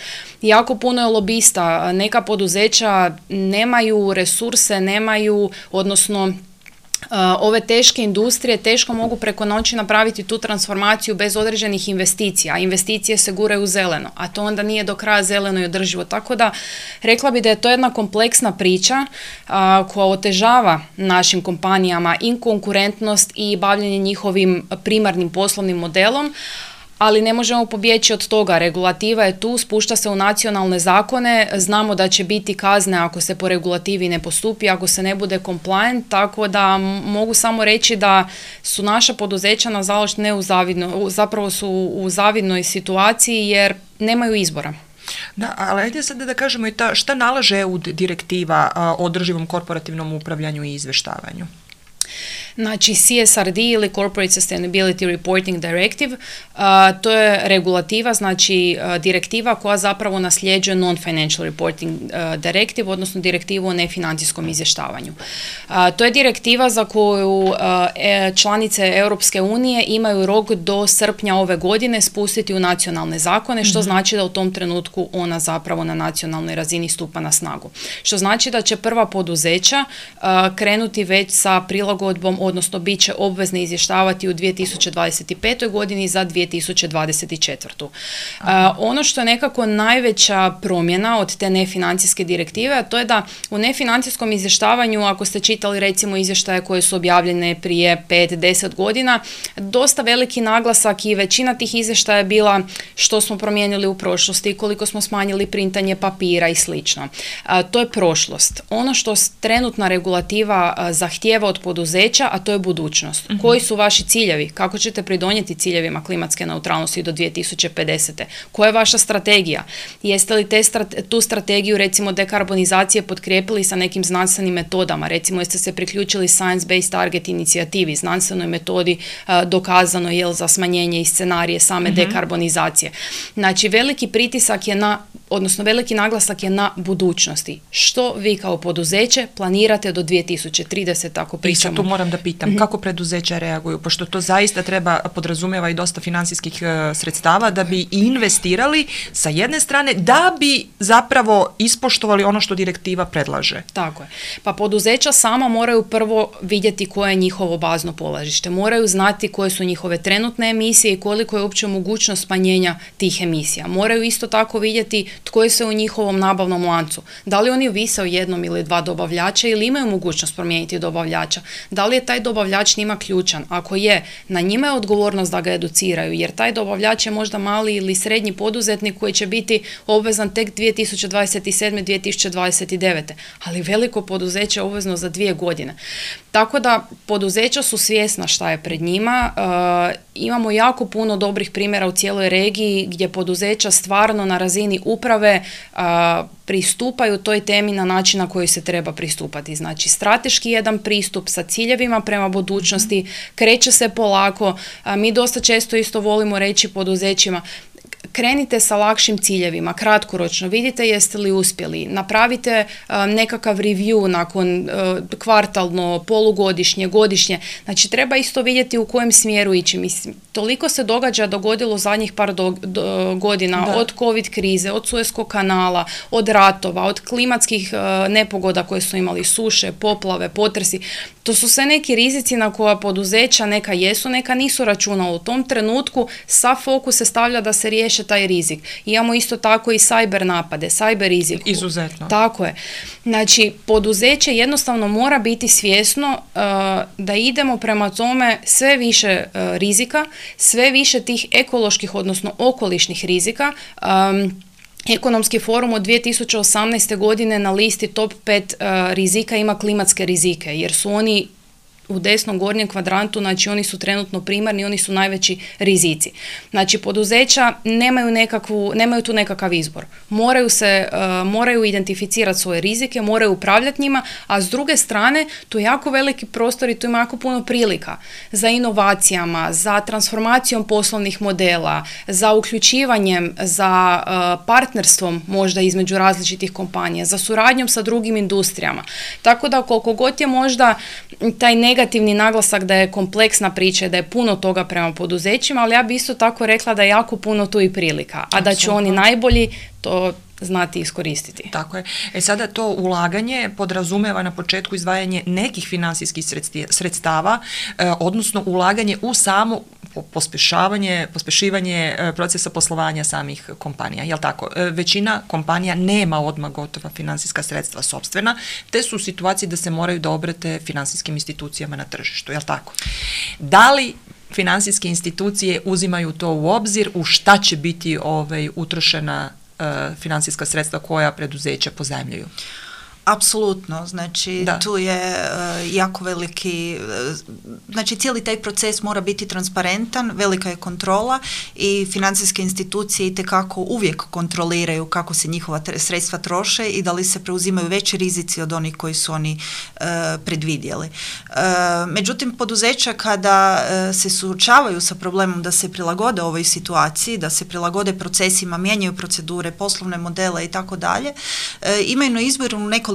Jako puno je lobista, neka poduzeća nemaju resurse, odnosno ove teške industrije teško mogu preko noći napraviti tu transformaciju bez određenih investicija. Investicije se guraju u zeleno, a to onda nije do kraja zeleno i održivo. Tako da rekla bi da je to jedna kompleksna priča koja otežava našim kompanijama i konkurentnost i bavljenje njihovim primarnim poslovnim modelom, ali ne možemo pobjeći od toga. Regulativa je tu, spušta se u nacionalne zakone, znamo da će biti kazne ako se po regulativi ne postupi, ako se ne bude compliant, tako da mogu samo reći da su naša poduzeća nažalost zapravo su u zavidnoj situaciji jer nemaju izbora. Da, ali ajde sad da kažemo i šta nalaže EU direktiva o održivom korporativnom upravljanju i izvještavanju? Znači CSRD ili Corporate Sustainability Reporting Directive, to je regulativa, znači direktiva koja zapravo nasljeđuje Non-Financial Reporting Directive, odnosno direktivu o nefinancijskom izvještavanju. To je direktiva za koju članice Europske unije imaju rok do srpnja ove godine spustiti u nacionalne zakone, što znači da u tom trenutku ona zapravo na nacionalnoj razini stupa na snagu. Što znači da će prva poduzeća krenuti već sa prilagodbom, odnosno bit će obvezni izvještavati u 2025. godini za 2024. Ono što je nekako najveća promjena od te nefinancijske direktive, a to je da u nefinancijskom izvještavanju, ako ste čitali recimo izvještaje koje su objavljene prije 5-10 godina, dosta veliki naglasak i većina tih izvještaja je bila što smo promijenili u prošlosti, koliko smo smanjili printanje papira i slično. To je prošlost. Ono što trenutna regulativa zahtijeva od poduzeća, a to je budućnost. Koji su vaši ciljevi? Kako ćete pridonijeti ciljevima klimatske neutralnosti do 2050. Koja je vaša strategija? Jeste li tu strategiju, recimo, dekarbonizacije potkrijepili sa nekim znanstvenim metodama? Recimo, jeste se priključili Science Based Target inicijativi, znanstvenoj metodi dokazano je za smanjenje i scenarije same dekarbonizacije. Znači, veliki pritisak je veliki naglasak je na budućnosti. Što vi kao poduzeće planirate do 2030, ako pričamo? I sad tu moram da pitam, kako preduzeća reaguju, pošto to zaista podrazumijeva i dosta financijskih sredstava da bi investirali sa jedne strane, da bi zapravo ispoštovali ono što direktiva predlaže. Tako je. Pa poduzeća sama moraju prvo vidjeti koje je njihovo bazno polažište. Moraju znati koje su njihove trenutne emisije i koliko je uopće mogućnost smanjenja tih emisija. Moraju isto tako vidjeti tko je se u njihovom nabavnom lancu. Da li oni ovise o jednom ili dva dobavljača ili imaju mogućnost promijeniti dobavljača? Da li je taj dobavljač njima ključan? Ako je, na njima je odgovornost da ga educiraju, jer taj dobavljač je možda mali ili srednji poduzetnik koji će biti obvezan tek 2027. 2029. Ali veliko poduzeće je obvezno za 2 godine. Tako da poduzeća su svjesna šta je pred njima. Imamo jako puno dobrih primjera u cijeloj regiji gdje poduzeća stvarno na razini uprave pristupaju toj temi na način na koji se treba pristupati. Znači, strateški jedan pristup sa ciljevima prema budućnosti, kreće se polako. Mi dosta često isto volimo reći poduzećima, krenite sa lakšim ciljevima, kratkoročno, vidite jeste li uspjeli, napravite nekakav review nakon kvartalno, polugodišnje, godišnje. Znači, treba isto vidjeti u kojem smjeru ići. Mislim, toliko se dogodilo zadnjih par godina, od COVID krize, od Suezkog kanala, od ratova, od klimatskih nepogoda koje su imali, suše, poplave, potresi. To su sve neki rizici na koja poduzeća neka jesu, neka nisu računala. U tom trenutku sav fokus se stavlja da se riješe taj rizik. Imamo isto tako i cyber napade, cyber rizik. Izuzetno. Tako je. Znači, poduzeće jednostavno mora biti svjesno da idemo prema tome sve više rizika, sve više tih ekoloških, odnosno okolišnih rizika. Ekonomski forum od 2018. godine na listi top 5 rizika ima klimatske rizike, jer su oni u desnom gornjem kvadrantu, znači oni su trenutno primarni, oni su najveći rizici. Znači, poduzeća nemaju tu nekakav izbor. Moraju identificirati svoje rizike, moraju upravljati njima, a s druge strane, tu je jako veliki prostor i tu ima jako puno prilika za inovacijama, za transformacijom poslovnih modela, za uključivanjem, za partnerstvom možda između različitih kompanija, za suradnjom sa drugim industrijama. Tako da koliko god je možda taj negativni naglasak da je kompleksna priča, da je puno toga prema poduzećima, ali ja bi isto tako rekla da je jako puno tu i prilika, a da će oni najbolji to znati iskoristiti. Tako je. Sada to ulaganje podrazumijeva na početku izdvajanje nekih financijskih sredstava, odnosno ulaganje u samo pospješivanje procesa poslovanja samih kompanija. Jel tako? Većina kompanija nema odmah gotova financijska sredstva sopstvena, te su u situaciji da se moraju da obrate financijskim institucijama na tržištu. Jel tako? Da li financijske institucije uzimaju to u obzir, u šta će biti utrošena financijska sredstva koja preduzeća pozajmljuju? Apsolutno, znači tu je jako veliki, znači cijeli taj proces mora biti transparentan, velika je kontrola i financijske institucije itekako uvijek kontroliraju kako se njihova sredstva troše i da li se preuzimaju veći rizici od onih koji su oni predvidjeli. Međutim, poduzeća kada se suočavaju sa problemom da se prilagode ovoj situaciji, da se prilagode procesima, mijenjaju procedure, poslovne modele i tako dalje, imaju na izboru nekoliko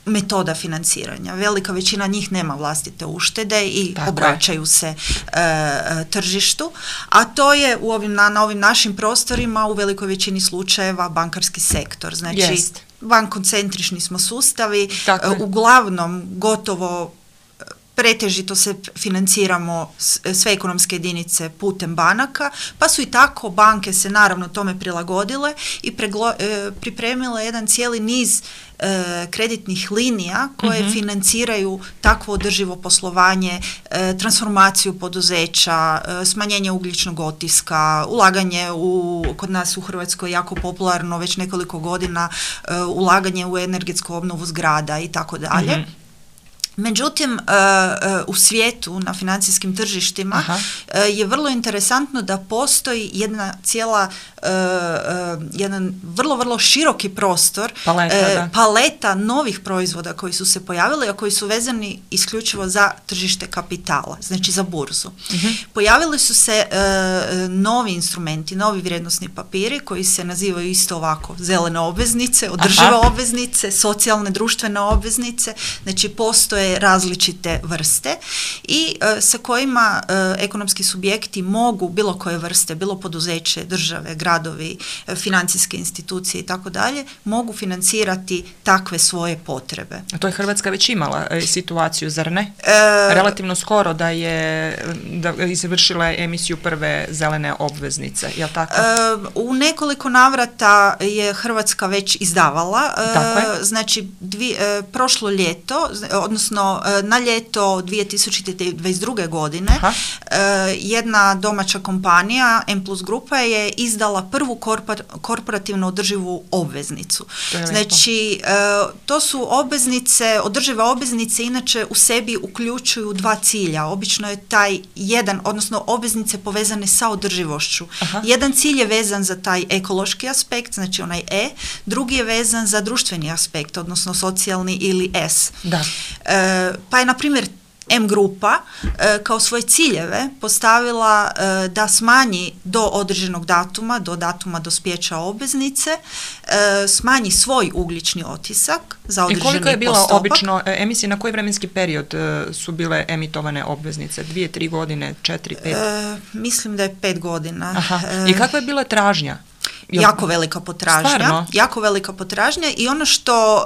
metoda financiranja. Velika većina njih nema vlastite uštede i obraćaju se tržištu, a to je na ovim našim prostorima u velikoj većini slučajeva bankarski sektor. Znači, bankocentrični smo sustavi, uglavnom gotovo pretežito se financiramo sve ekonomske jedinice putem banaka, pa su i tako banke se naravno tome prilagodile i pripremile jedan cijeli niz kreditnih linija koje financiraju takvo održivo poslovanje, transformaciju poduzeća, smanjenje ugljičnog otiska, ulaganje kod nas u Hrvatskoj jako popularno već nekoliko godina, ulaganje u energetsku obnovu zgrada i tako dalje. Međutim, u svijetu, na financijskim tržištima, je vrlo interesantno da postoji jedan vrlo, vrlo široki prostor, paleta novih proizvoda koji su se pojavili, a koji su vezani isključivo za tržište kapitala, znači za burzu. Pojavili su se novi instrumenti, novi vrijednosni papiri koji se nazivaju isto ovako: zelene obveznice, održive obveznice, socijalne društvene obveznice, znači postoje različite vrste i sa kojima ekonomski subjekti mogu, bilo koje vrste, bilo poduzeće, države, gradovi, financijske institucije i tako dalje, mogu financirati takve svoje potrebe. A to je Hrvatska već imala situaciju, zar ne? Relativno skoro da izvršila emisiju prve zelene obveznice, je li tako? U nekoliko navrata je Hrvatska već izdavala, znači prošlo ljeto, odnosno na ljeto 2022. godine, jedna domaća kompanija, M+ grupa, je izdala prvu korporativno održivu obveznicu. Znači, to su obveznice, održive obveznice inače u sebi uključuju dva cilja. Obično je taj jedan, odnosno obveznice povezane sa održivošću. Jedan cilj je vezan za taj ekološki aspekt, znači onaj E, drugi je vezan za društveni aspekt, odnosno socijalni ili S. Pa je, na primjer, M grupa kao svoje ciljeve postavila da smanji do određenog datuma, do datuma dospijeća obveznice, smanji svoj ugljični otisak za određeni postotak. I koliko je bila obično emisije, na koji vremenski period su bile emitovane obveznice? 2, 3 godine, 4, 5? Mislim da je 5 godina. I kakva je bila tražnja? Jako velika potražnja i ono što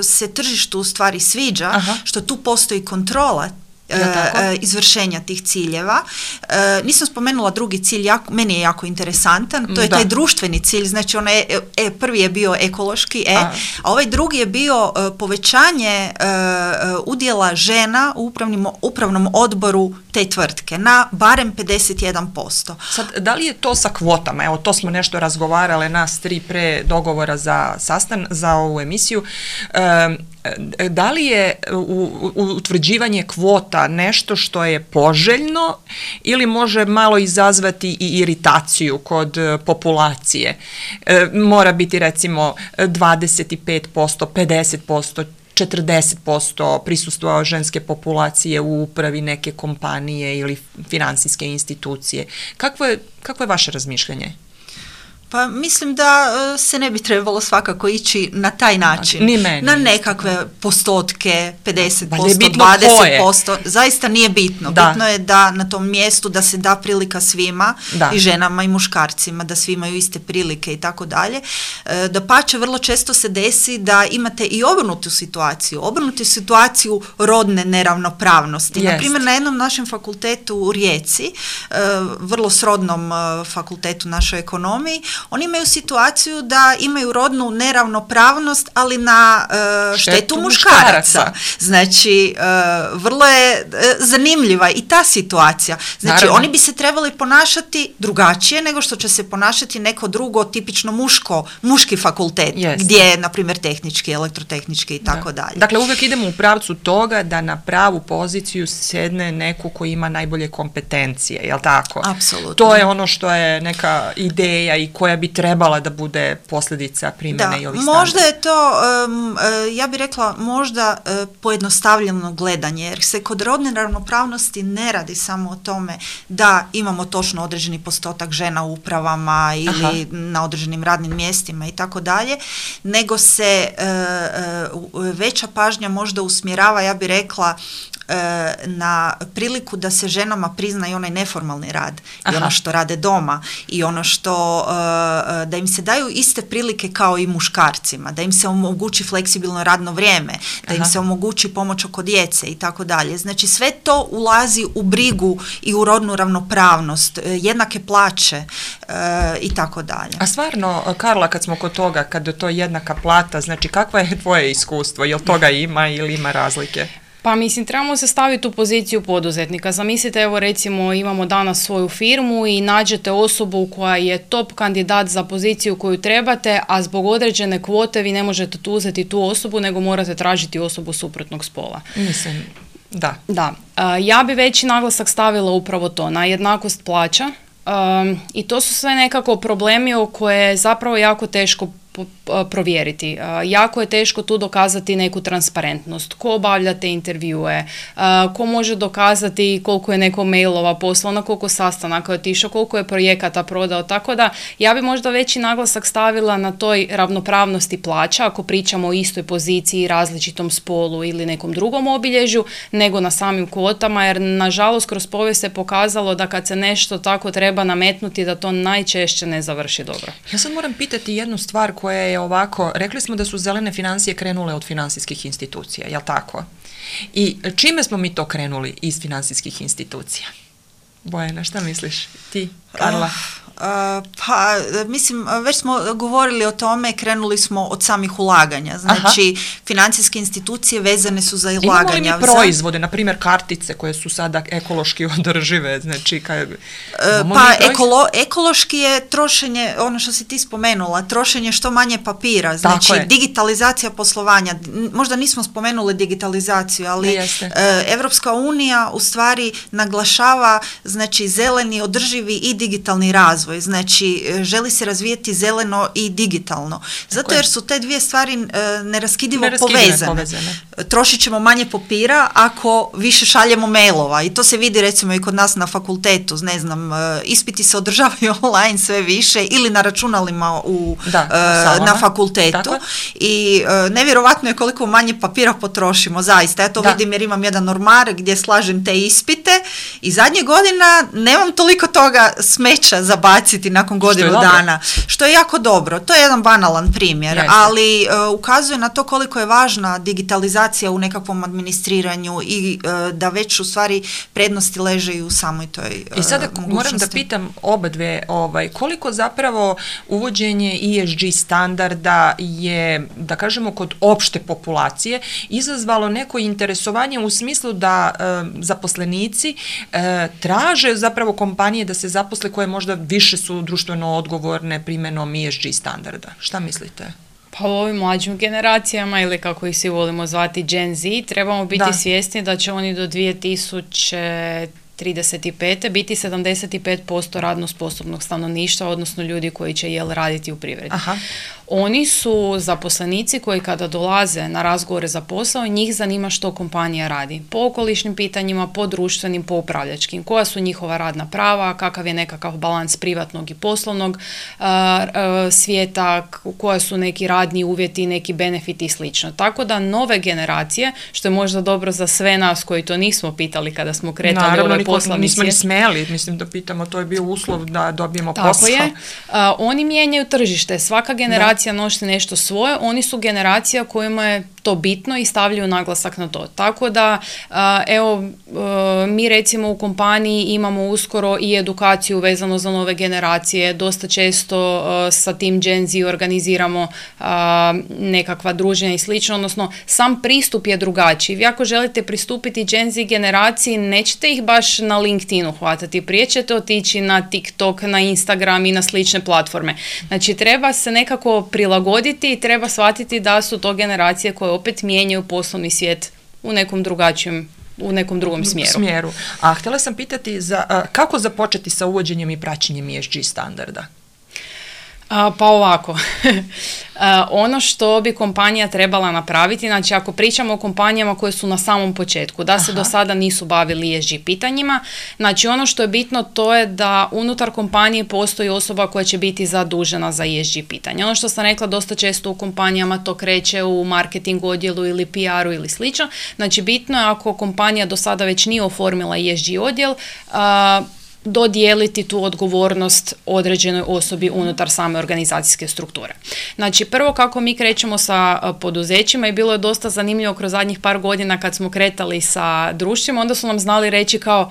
se tržištu u stvari sviđa, što tu postoji kontrola izvršenja tih ciljeva. Nisam spomenula drugi cilj, meni je jako interesantan, to je taj društveni cilj, znači prvi je bio ekološki a ovaj drugi je bio povećanje udjela žena u upravnom odboru te tvrtke na barem 51%. Sad, da li je to sa kvotama? Evo, to smo nešto razgovarale nas 3 pre dogovora za ovu emisiju. Da li je utvrđivanje kvota nešto što je poželjno ili može malo izazvati i iritaciju kod populacije? Mora biti recimo 25%, 50%, 40% prisustva ženske populacije u upravi neke kompanije ili finansijske institucije. Kakvo je vaše razmišljanje? Pa mislim da se ne bi trebalo svakako ići na taj način. Na nekakve postotke, 50%, 20%. Zaista nije bitno. Bitno je da na tom mjestu da se da prilika svima, i ženama i muškarcima, da svi imaju iste prilike i tako dalje. Dapače, vrlo često se desi da imate i obrnutu situaciju rodne neravnopravnosti. Naprimjer, na jednom našem fakultetu u Rijeci, vrlo srodnom fakultetu našoj ekonomiji, oni imaju situaciju da imaju rodnu neravnopravnost, ali na štetu muškaraca. Znači, vrlo je zanimljiva i ta situacija. Znači, oni bi se trebali ponašati drugačije nego što će se ponašati neko drugo tipično muški fakultet, gdje je, na primjer, tehnički, elektrotehnički i tako dalje. Dakle, uvijek idemo u pravcu toga da na pravu poziciju sedne neko koji ima najbolje kompetencije, je li tako? Apsolutno. To je ono što je neka ideja i koja bi trebala da bude posljedica primjene i ovih standarda. Možda je to, ja bih rekla, možda pojednostavljeno gledanje, jer se kod rodne ravnopravnosti ne radi samo o tome da imamo točno određeni postotak žena u upravama ili na određenim radnim mjestima i tako dalje, nego se veća pažnja možda usmjerava, ja bih rekla, na priliku da se ženama prizna i onaj neformalni rad i ono što rade doma i ono što, da im se daju iste prilike kao i muškarcima, da im se omogući fleksibilno radno vrijeme, da im se omogući pomoć oko djece i tako dalje. Znači, sve to ulazi u brigu i u rodnu ravnopravnost, jednake plaće i tako dalje. A stvarno, Karla, kad smo kod toga, kad je to jednaka plata, znači kakva je tvoje iskustvo? Jel toga ima ili ima razlike? Pa mislim, trebamo se staviti u poziciju poduzetnika. Zamislite, evo recimo imamo danas svoju firmu i nađete osobu koja je top kandidat za poziciju koju trebate, a zbog određene kvote vi ne možete tu uzeti tu osobu, nego morate tražiti osobu suprotnog spola. Mislim, da. Da. Ja bi veći naglasak stavila upravo to, na jednakost plaća. I to su sve nekako problemi o koje je zapravo jako teško provjeriti. Jako je teško tu dokazati neku transparentnost. Ko obavlja te intervjue, ko može dokazati koliko je neko mailova poslao, na koliko sastanaka je otišao, koliko je projekata prodao, tako da ja bi možda veći naglasak stavila na toj ravnopravnosti plaća, ako pričamo o istoj poziciji, različitom spolu ili nekom drugom obilježju, nego na samim kvotama, jer nažalost kroz povijest se pokazalo da kad se nešto tako treba nametnuti, da to najčešće ne završi dobro. Ja sad moram pitati jednu stvar koja je ovako, rekli smo da su zelene financije krenule od financijskih institucija, jel tako? I čime smo mi to krenuli iz financijskih institucija? Bojana, šta misliš? Ti, Karla? Pa, mislim, već smo govorili o tome, krenuli smo od samih ulaganja. Znači, financijske institucije vezane su za ulaganja. Imamo li mi proizvode, na primjer kartice koje su sada ekološki održive? Znači, ekološki je trošenje, ono što si ti spomenula, trošenje što manje papira, znači digitalizacija poslovanja. Možda nismo spomenuli digitalizaciju, ali Evropska unija u stvari naglašava, znači, zeleni, održivi i digitalni razvoj. Znači, želi se razvijeti zeleno i digitalno. Zato jer su te dvije stvari neraskidivo povezane. Trošit ćemo manje papira ako više šaljemo mailova. I to se vidi recimo i kod nas na fakultetu. Ne znam, ispiti se održavaju online sve više ili na računalima na fakultetu. Tako. I nevjerovatno je koliko manje papira potrošimo. Zaista, ja to vidim jer imam jedan ormar gdje slažem te ispite i zadnjih godina nemam toliko toga smeća za baciti nakon godinu dana, što je jako dobro. To je jedan banalan primjer, ali ukazuje na to koliko je važna digitalizacija u nekakvom administriranju i da već u stvari prednosti leže i u samoj toj mogućnosti. I sada moram da pitam oba dve, koliko zapravo uvođenje ESG standarda je, da kažemo, kod opšte populacije izazvalo neko interesovanje u smislu da zaposlenici traže zapravo kompanije da se zaposle koje možda više su društveno odgovorne primjenom ESG standarda. Šta mislite? Pa u ovim mlađim generacijama, ili kako ih svi volimo zvati Gen Z, trebamo biti svjesni da će oni do 2035. biti 75% radno sposobnog stanovništva, odnosno ljudi koji će raditi u privredi. Aha. Oni su zaposlenici koji kada dolaze na razgovore za posao, njih zanima što kompanija radi. Po okolišnim pitanjima, po društvenim, po upravljačkim. Koja su njihova radna prava, kakav je nekakav balans privatnog i poslovnog svijeta, koja su neki radni uvjeti, neki benefiti i slično. Tako da nove generacije, što je možda dobro za sve nas koji to nismo pitali kada smo kretali ovaj poslovni svijet. Nismo ni smeli, mislim da pitamo, to je bio uslov da dobijemo posao. Tako je. Oni mijenjaju tržište. Svaka generacija nosi nešto svoje, oni su generacija kojima je to bitno i stavljaju naglasak na to. Tako da, mi recimo u kompaniji imamo uskoro i edukaciju vezano za nove generacije, dosta često sa tim Gen Z organiziramo nekakva druženja i slično, odnosno sam pristup je drugačiji. Vi ako želite pristupiti Gen Z generaciji, nećete ih baš na LinkedInu hvatati, prije ćete otići na TikTok, na Instagram i na slične platforme. Znači, treba se nekako prilagoditi i treba shvatiti da su to generacije koje opet mijenjaju poslovni svijet u nekom drugom smjeru. A htjela sam pitati kako započeti sa uvođenjem i praćenjem ESG standarda? Pa ovako, ono što bi kompanija trebala napraviti, znači ako pričamo o kompanijama koje su na samom početku, da se do sada nisu bavili ESG pitanjima, znači ono što je bitno to je da unutar kompanije postoji osoba koja će biti zadužena za ESG pitanje. Ono što sam rekla, dosta često u kompanijama to kreće u marketing odjelu ili PR-u ili slično, znači bitno je ako kompanija do sada već nije oformila ESG odjel, dodijeliti tu odgovornost određenoj osobi unutar same organizacijske strukture. Znači, prvo kako mi krećemo sa poduzećima i bilo je dosta zanimljivo kroz zadnjih par godina kad smo kretali sa društvima, onda su nam znali reći kao,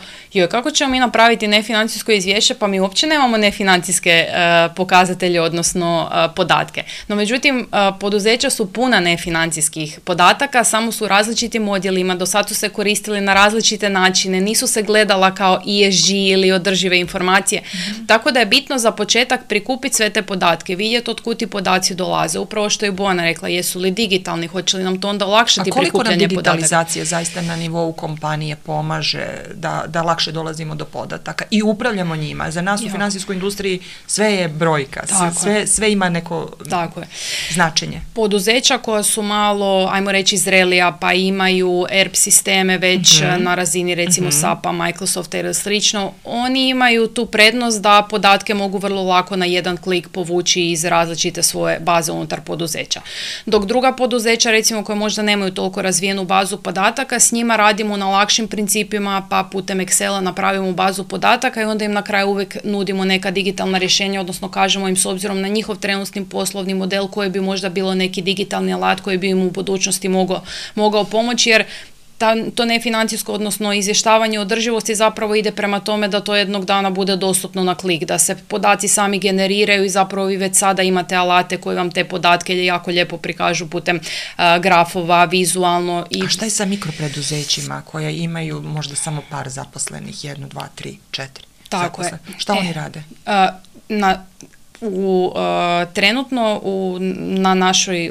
kako ćemo mi napraviti nefinancijsko izvješće, pa mi uopće nemamo nefinancijske pokazatelje, odnosno podatke. No, međutim, poduzeća su puna nefinancijskih podataka, samo su u različitim odjelima, do sad su se koristili na različite načine, nisu se gledala kao ESG ili održive informacije. Tako da je bitno za početak prikupiti sve te podatke, vidjeti od kud ti podaci dolaze. Upravo što je Bojana rekla, jesu li digitalni, hoće li nam to onda olakšati prikupljanje podataka. A koliko nam digitalizacija zaista na nivou kompanije pomaže da lakše dolazimo do podataka i upravljamo njima? Za nas u finansijskoj industriji sve je brojka, sve ima neko značenje. Poduzeća koja su malo, ajmo reći, zrelija, pa imaju ERP sisteme već na razini recimo SAP-a, Microsofta ili slično, oni imaju tu prednost da podatke mogu vrlo lako na jedan klik povući iz različite svoje baze unutar poduzeća. Dok druga poduzeća, recimo, koje možda nemaju toliko razvijenu bazu podataka, s njima radimo na lakšim principima, pa putem Excela napravimo bazu podataka i onda im na kraju uvijek nudimo neka digitalna rješenja, odnosno kažemo im s obzirom na njihov trenutni poslovni model koji bi možda bilo neki digitalni alat koji bi im u budućnosti mogao pomoći, jer to nefinancijsko, odnosno izvještavanje održivosti zapravo ide prema tome da to jednog dana bude dostupno na klik, da se podaci sami generiraju i zapravo vi već sada imate alate koji vam te podatke jako lijepo prikažu putem grafova, vizualno. A šta je sa mikropreduzećima koje imaju možda samo par zaposlenih, 1, 2, 3, 4 zaposlenih? Šta oni rade? Trenutno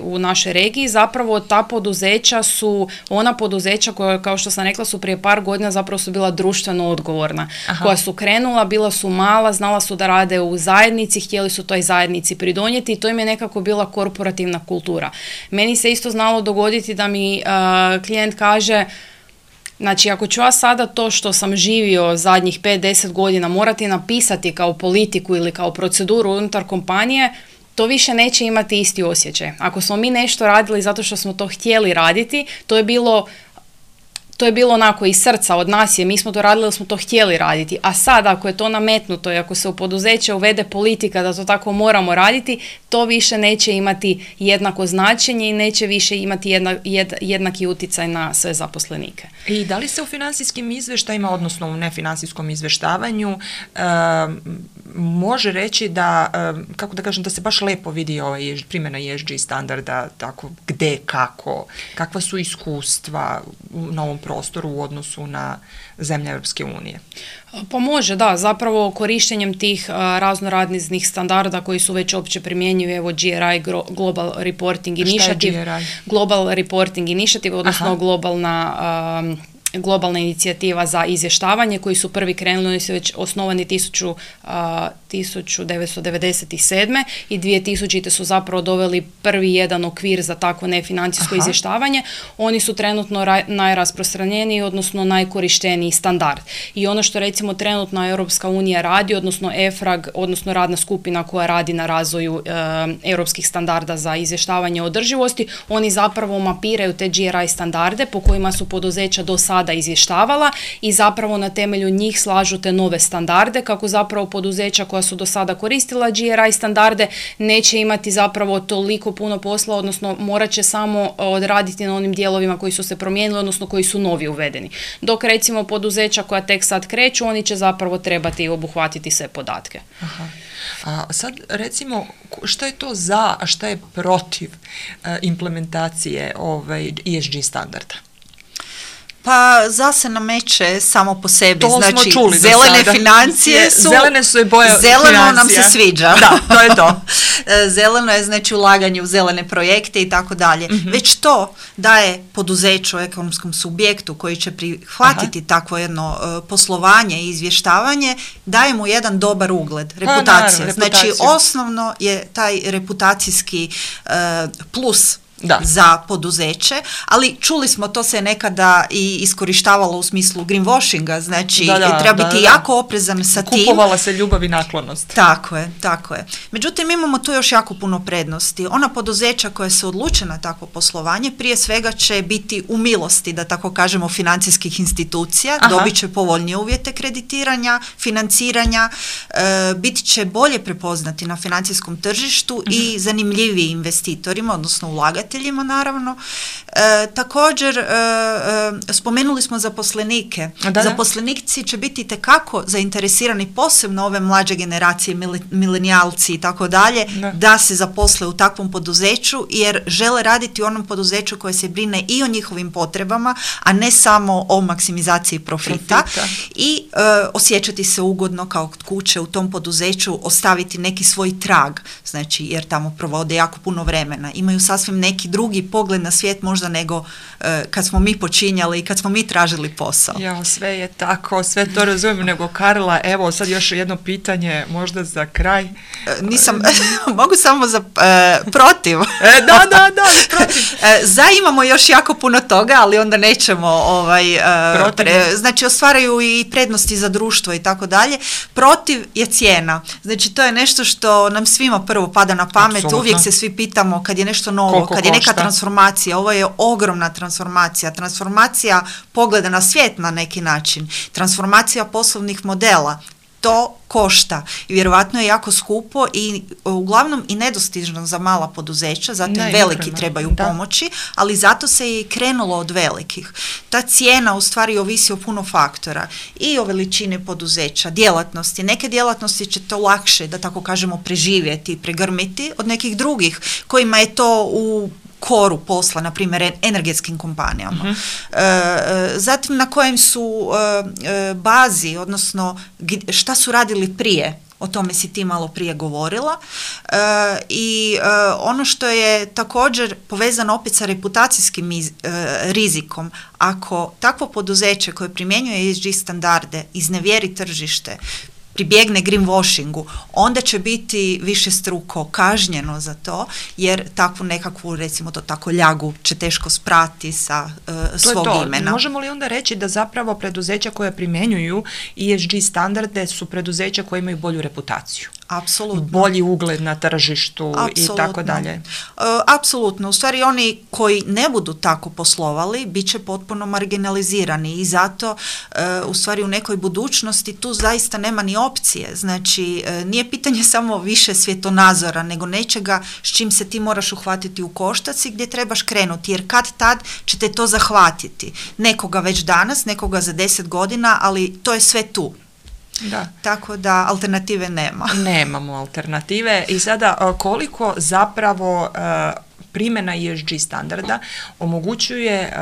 u našoj regiji zapravo ta poduzeća su ona poduzeća koja, kao što sam rekla, su prije par godina zapravo su bila društveno odgovorna. Koja su krenula, bila su mala, znala su da rade u zajednici, htjeli su toj zajednici pridonijeti i to im je nekako bila korporativna kultura. Meni se isto znalo dogoditi da mi klijent kaže, znači, ako ću ja sada to što sam živio zadnjih 5-10 godina morati napisati kao politiku ili kao proceduru unutar kompanije, to više neće imati isti osjećaj. Ako smo mi nešto radili zato što smo to htjeli raditi, to je bilo onako iz srca od nas, mi smo to radili jer smo to htjeli raditi. A sad ako je to nametnuto i ako se u poduzeće uvede politika da to tako moramo raditi, to više neće imati jednako značenje i neće više imati jednaki utjecaj na sve zaposlenike. I da li se u financijskim izvještajima, odnosno u nefinancijskom izvještavanju, može reći da, kako da kažem, da se baš lepo vidi primjena ESG standarda, tako gde, kako, kakva su iskustva na ovom prostoru u odnosu na zemlje Europske unije? Pa može, da, zapravo korištenjem tih raznoraznih standarda koji su već opće primjenjivi, evo GRI, Global Reporting Initiative. Šta je GRI? Global Reporting Initiative, odnosno globalna inicijativa za izvještavanje, koji su prvi krenuli, oni su već osnovani 1997. i 2000. su zapravo doveli prvi jedan okvir za takvo nefinancijsko izvještavanje. Oni su trenutno najrasprostranjeniji, odnosno najkorišteniji standard. I ono što recimo trenutno Europska unija radi, odnosno EFRAG, odnosno radna skupina koja radi na razvoju europskih standarda za izvještavanje održivosti, oni zapravo mapiraju te GRI standarde po kojima su poduzeća do sada izvještavala i zapravo na temelju njih slažu te nove standarde, kako zapravo poduzeća koja su do sada koristila GRI standarde neće imati zapravo toliko puno posla, odnosno morat će samo odraditi na onim dijelovima koji su se promijenili, odnosno koji su novi uvedeni. Dok recimo poduzeća koja tek sad kreću, oni će zapravo trebati obuhvatiti sve podatke. A sad recimo, šta je to za, a šta je protiv implementacije ESG standarda? Pa se nameće samo po sebi, to znači čuli zelene financije su, zelene su i boje zeleno financija. Nam se sviđa. Da, to je to. Zeleno je znači ulaganje u zelene projekte i tako dalje. Već to daje poduzeću, ekonomskom subjektu koji će prihvatiti takvo jedno poslovanje i izvještavanje, daje mu jedan dobar ugled, reputacija. Znači osnovno je taj reputacijski plus za poduzeće, ali čuli smo, to se nekada i iskorištavalo u smislu greenwashinga, znači treba biti jako oprezan sa tim. Kupovala se ljubav i naklonost. Tako je. Međutim, imamo tu još jako puno prednosti. Ona poduzeća koja se odluče na takvo poslovanje, prije svega će biti u milosti, da tako kažemo, financijskih institucija, dobit će povoljnije uvjete kreditiranja, financiranja, biti će bolje prepoznati na financijskom tržištu i zanimljiviji investitorima, odnosno ulagateljima naravno. Također, spomenuli smo zaposlenike. Zaposlenici će biti itekako zainteresirani, posebno ove mlađe generacije, milenijalci i tako dalje, da se zaposle u takvom poduzeću, jer žele raditi u onom poduzeću koje se brine i o njihovim potrebama, a ne samo o maksimizaciji profita. I osjećati se ugodno kao kod kuće u tom poduzeću, ostaviti neki svoj trag, znači, jer tamo provode jako puno vremena. Imaju sasvim neki drugi pogled na svijet možda nego kad smo mi počinjali i kad smo mi tražili posao. Ja, sve je tako, sve to razumijem, nego Karla, evo sad još jedno pitanje, možda za kraj. Nisam, mogu samo za protiv. Da, protiv. Za imamo još jako puno toga, ali onda nećemo znači ostvaraju i prednosti za društvo i tako dalje. Protiv je cijena. Znači to je nešto što nam svima prvo pada na pamet. Absolutno. Uvijek se svi pitamo kad je nešto novo, kad je neka transformacija. Ovo je ogromna transformacija pogleda na svijet na neki način, transformacija poslovnih modela. To košta i vjerojatno je jako skupo i uglavnom i nedostižno za mala poduzeća, zato veliki trebaju pomoći, ali zato se je i krenulo od velikih. Ta cijena u stvari ovisi o puno faktora i o veličini poduzeća, djelatnosti. Neke djelatnosti će to lakše, da tako kažemo, preživjeti i pregrmiti od nekih drugih kojima je to u koru posla, na primjer energetskim kompanijama. Zatim na kojem su bazi, odnosno šta su radili prije, o tome si ti malo prije govorila, i ono što je također povezano opet sa reputacijskim rizikom, ako takvo poduzeće koje primjenjuje ESG standarde iznevjeri tržište, pribjegne greenwashingu, onda će biti višestruko kažnjeno za to, jer takvu nekakvu, recimo to tako, ljagu će teško sprati sa svog imena. Možemo li onda reći da zapravo preduzeća koje primjenjuju ESG standarde su preduzeća koje imaju bolju reputaciju? Apsolutno. Bolji ugled na tržištu i tako dalje. Apsolutno. U stvari oni koji ne budu tako poslovali bit će potpuno marginalizirani i zato u stvari u nekoj budućnosti tu zaista nema ni opcije. Znači nije pitanje samo više svjetonazora, nego nečega s čim se ti moraš uhvatiti u koštac i gdje trebaš krenuti, jer kad tad će te to zahvatiti. Nekoga već danas, nekoga za 10 godina, ali to je sve tu. Da. Tako da alternative nema. Nemamo alternative i sada koliko zapravo primjena ESG standarda omogućuje,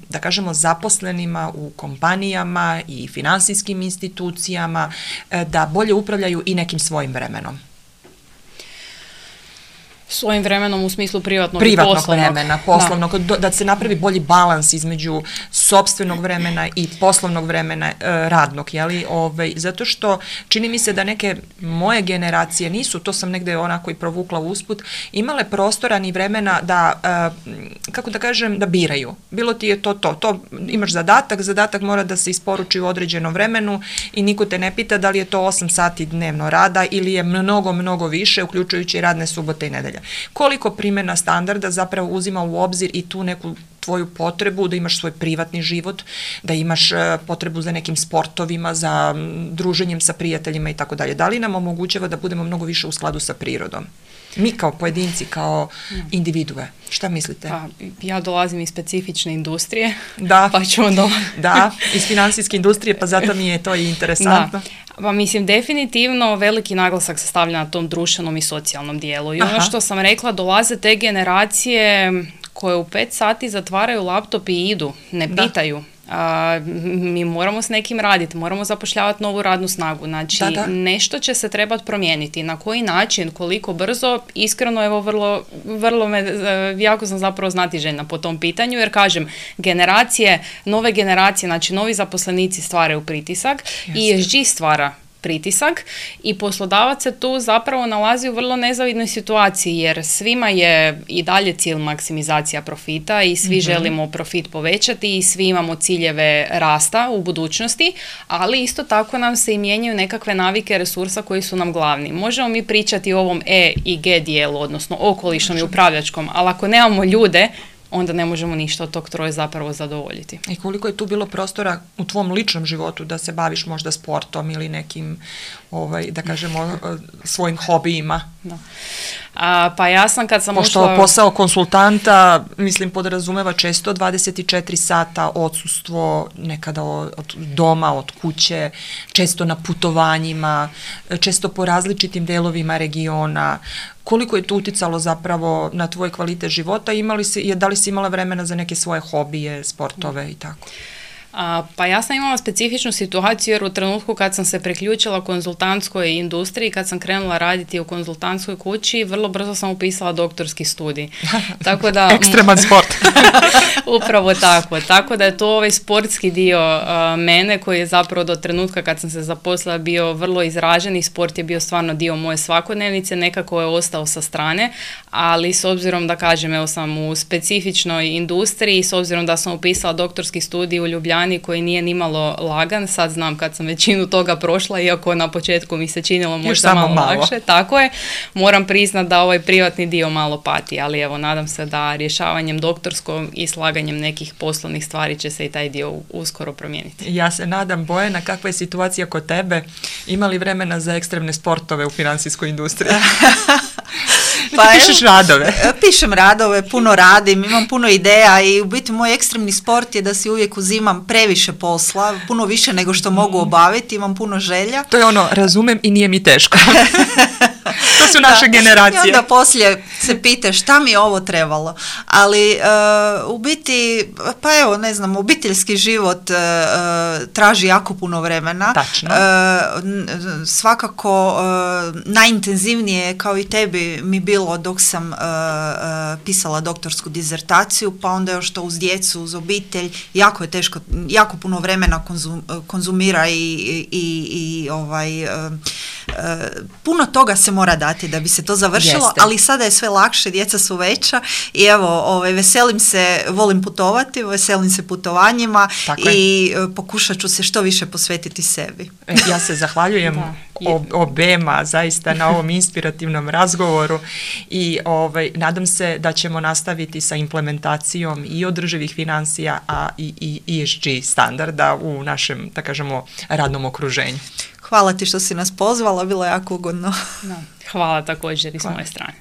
da kažemo, zaposlenima u kompanijama i financijskim institucijama da bolje upravljaju i nekim svojim vremenom. Svojim vremenom u smislu privatnog i poslovnog. Vremena, poslovnog, da se napravi bolji balans između sopstvenog vremena i poslovnog vremena radnog, jeli? Zato što čini mi se da neke moje generacije nisu, to sam negdje onako i provukla usput, imale prostora ni vremena da, kako da kažem, da biraju. Bilo ti je to imaš zadatak mora da se isporuči u određenom vremenu i niko te ne pita da li je to 8 sati dnevno rada ili je mnogo više, uključujući radne subote i nedelje. Koliko primjena standarda zapravo uzima u obzir i tu neku tvoju potrebu da imaš svoj privatni život, da imaš potrebu za nekim sportovima, za druženjem sa prijateljima i tako dalje. Da li nam omogućava da budemo mnogo više u skladu sa prirodom? Mi kao pojedinci, kao individue. Šta mislite? Pa, ja dolazim iz specifične industrije. Da, pa ću onda... da, iz financijske industrije, pa zato mi je to i interesantno. Da. Pa mislim, definitivno veliki naglasak se stavlja na tom društvenom i socijalnom dijelu. I ono što sam rekla, dolaze te generacije koje u 5 sati zatvaraju laptop i idu, ne pitaju. Mi moramo s nekim raditi, moramo zapošljavati novu radnu snagu, znači nešto će se trebati promijeniti. Na koji način, koliko brzo, iskreno, evo vrlo jako sam zapravo znatiželjna po tom pitanju, jer kažem, nove generacije, znači novi zaposlenici stvaraju pritisak i ESG stvara pritisak i poslodavac se tu zapravo nalazi u vrlo nezavidnoj situaciji jer svima je i dalje cilj maksimizacija profita i svi želimo profit povećati i svi imamo ciljeve rasta u budućnosti, ali isto tako nam se i mijenjaju nekakve navike resursa koji su nam glavni. Možemo mi pričati o ovom E i G dijelu, odnosno okolišnom i upravljačkom, ali ako nemamo ljude, onda ne možemo ništa od tog troje zapravo zadovoljiti. I koliko je tu bilo prostora u tvom ličnom životu da se baviš možda sportom ili nekim, da kažemo, svojim hobijima? Da. Pa ja sam kad sam pošto posao konsultanta, mislim, podrazumeva često 24 sata odsustvo, nekada od doma, od kuće, često na putovanjima, često po različitim delovima regiona. Koliko je to uticalo zapravo na tvoj kvalitet života? Da li si imala vremena za neke svoje hobije, sportove i tako? Pa ja sam imala specifičnu situaciju jer u trenutku kad sam se priključila konzultantskoj industriji, kad sam krenula raditi u konzultantskoj kući, vrlo brzo sam upisala doktorski studij. Tako da, ekstreman sport. Upravo tako. Tako da je to ovaj sportski dio mene koji je zapravo do trenutka kad sam se zaposlila bio vrlo izražen i sport je bio stvarno dio moje svakodnevnice, nekako je ostao sa strane, ali s obzirom da kažem, evo sam u specifičnoj industriji, s obzirom da sam upisala doktorski studij u Ljubljani koji nije nimalo lagan, sad znam kad sam većinu toga prošla, iako na početku mi se činilo možda malo lakše, tako je, moram priznat da ovaj privatni dio malo pati, ali evo nadam se da rješavanjem doktorskog i slaganjem nekih poslovnih stvari će se i taj dio uskoro promijeniti. Ja se nadam, Bojana, kakva je situacija kod tebe? Ima li vremena za ekstremne sportove u financijskoj industriji? Pa pišeš radove? Pišem radove, puno radim, imam puno ideja i u biti moj ekstremni sport je da si uvijek uzimam previše posla, puno više nego što mogu obaviti, imam puno želja. To je razumem i nije mi teško. To su naše generacije. I onda poslije se pitaš šta mi je ovo trebalo. Ali u biti, pa evo, ne znam, obiteljski život traži jako puno vremena. Tačno. Svakako najintenzivnije kao i tebi mi bilo dok sam pisala doktorsku dizertaciju, pa onda još to uz djecu, uz obitelj, jako je teško, jako puno vremena konzumira i puno toga se mora dati da bi se to završilo. Jeste. Ali sada je sve lakše, djeca su veća i evo, veselim se, volim putovati, veselim se putovanjima. Tako i pokušat ću se što više posvetiti sebi. Ja se zahvaljujem obema zaista na ovom inspirativnom razgovoru i nadam se da ćemo nastaviti sa implementacijom i održivih financija, a i ESG standarda u našem, da kažemo, radnom okruženju. Hvala ti što si nas pozvala, bilo je jako ugodno. Hvala također i s moje strane.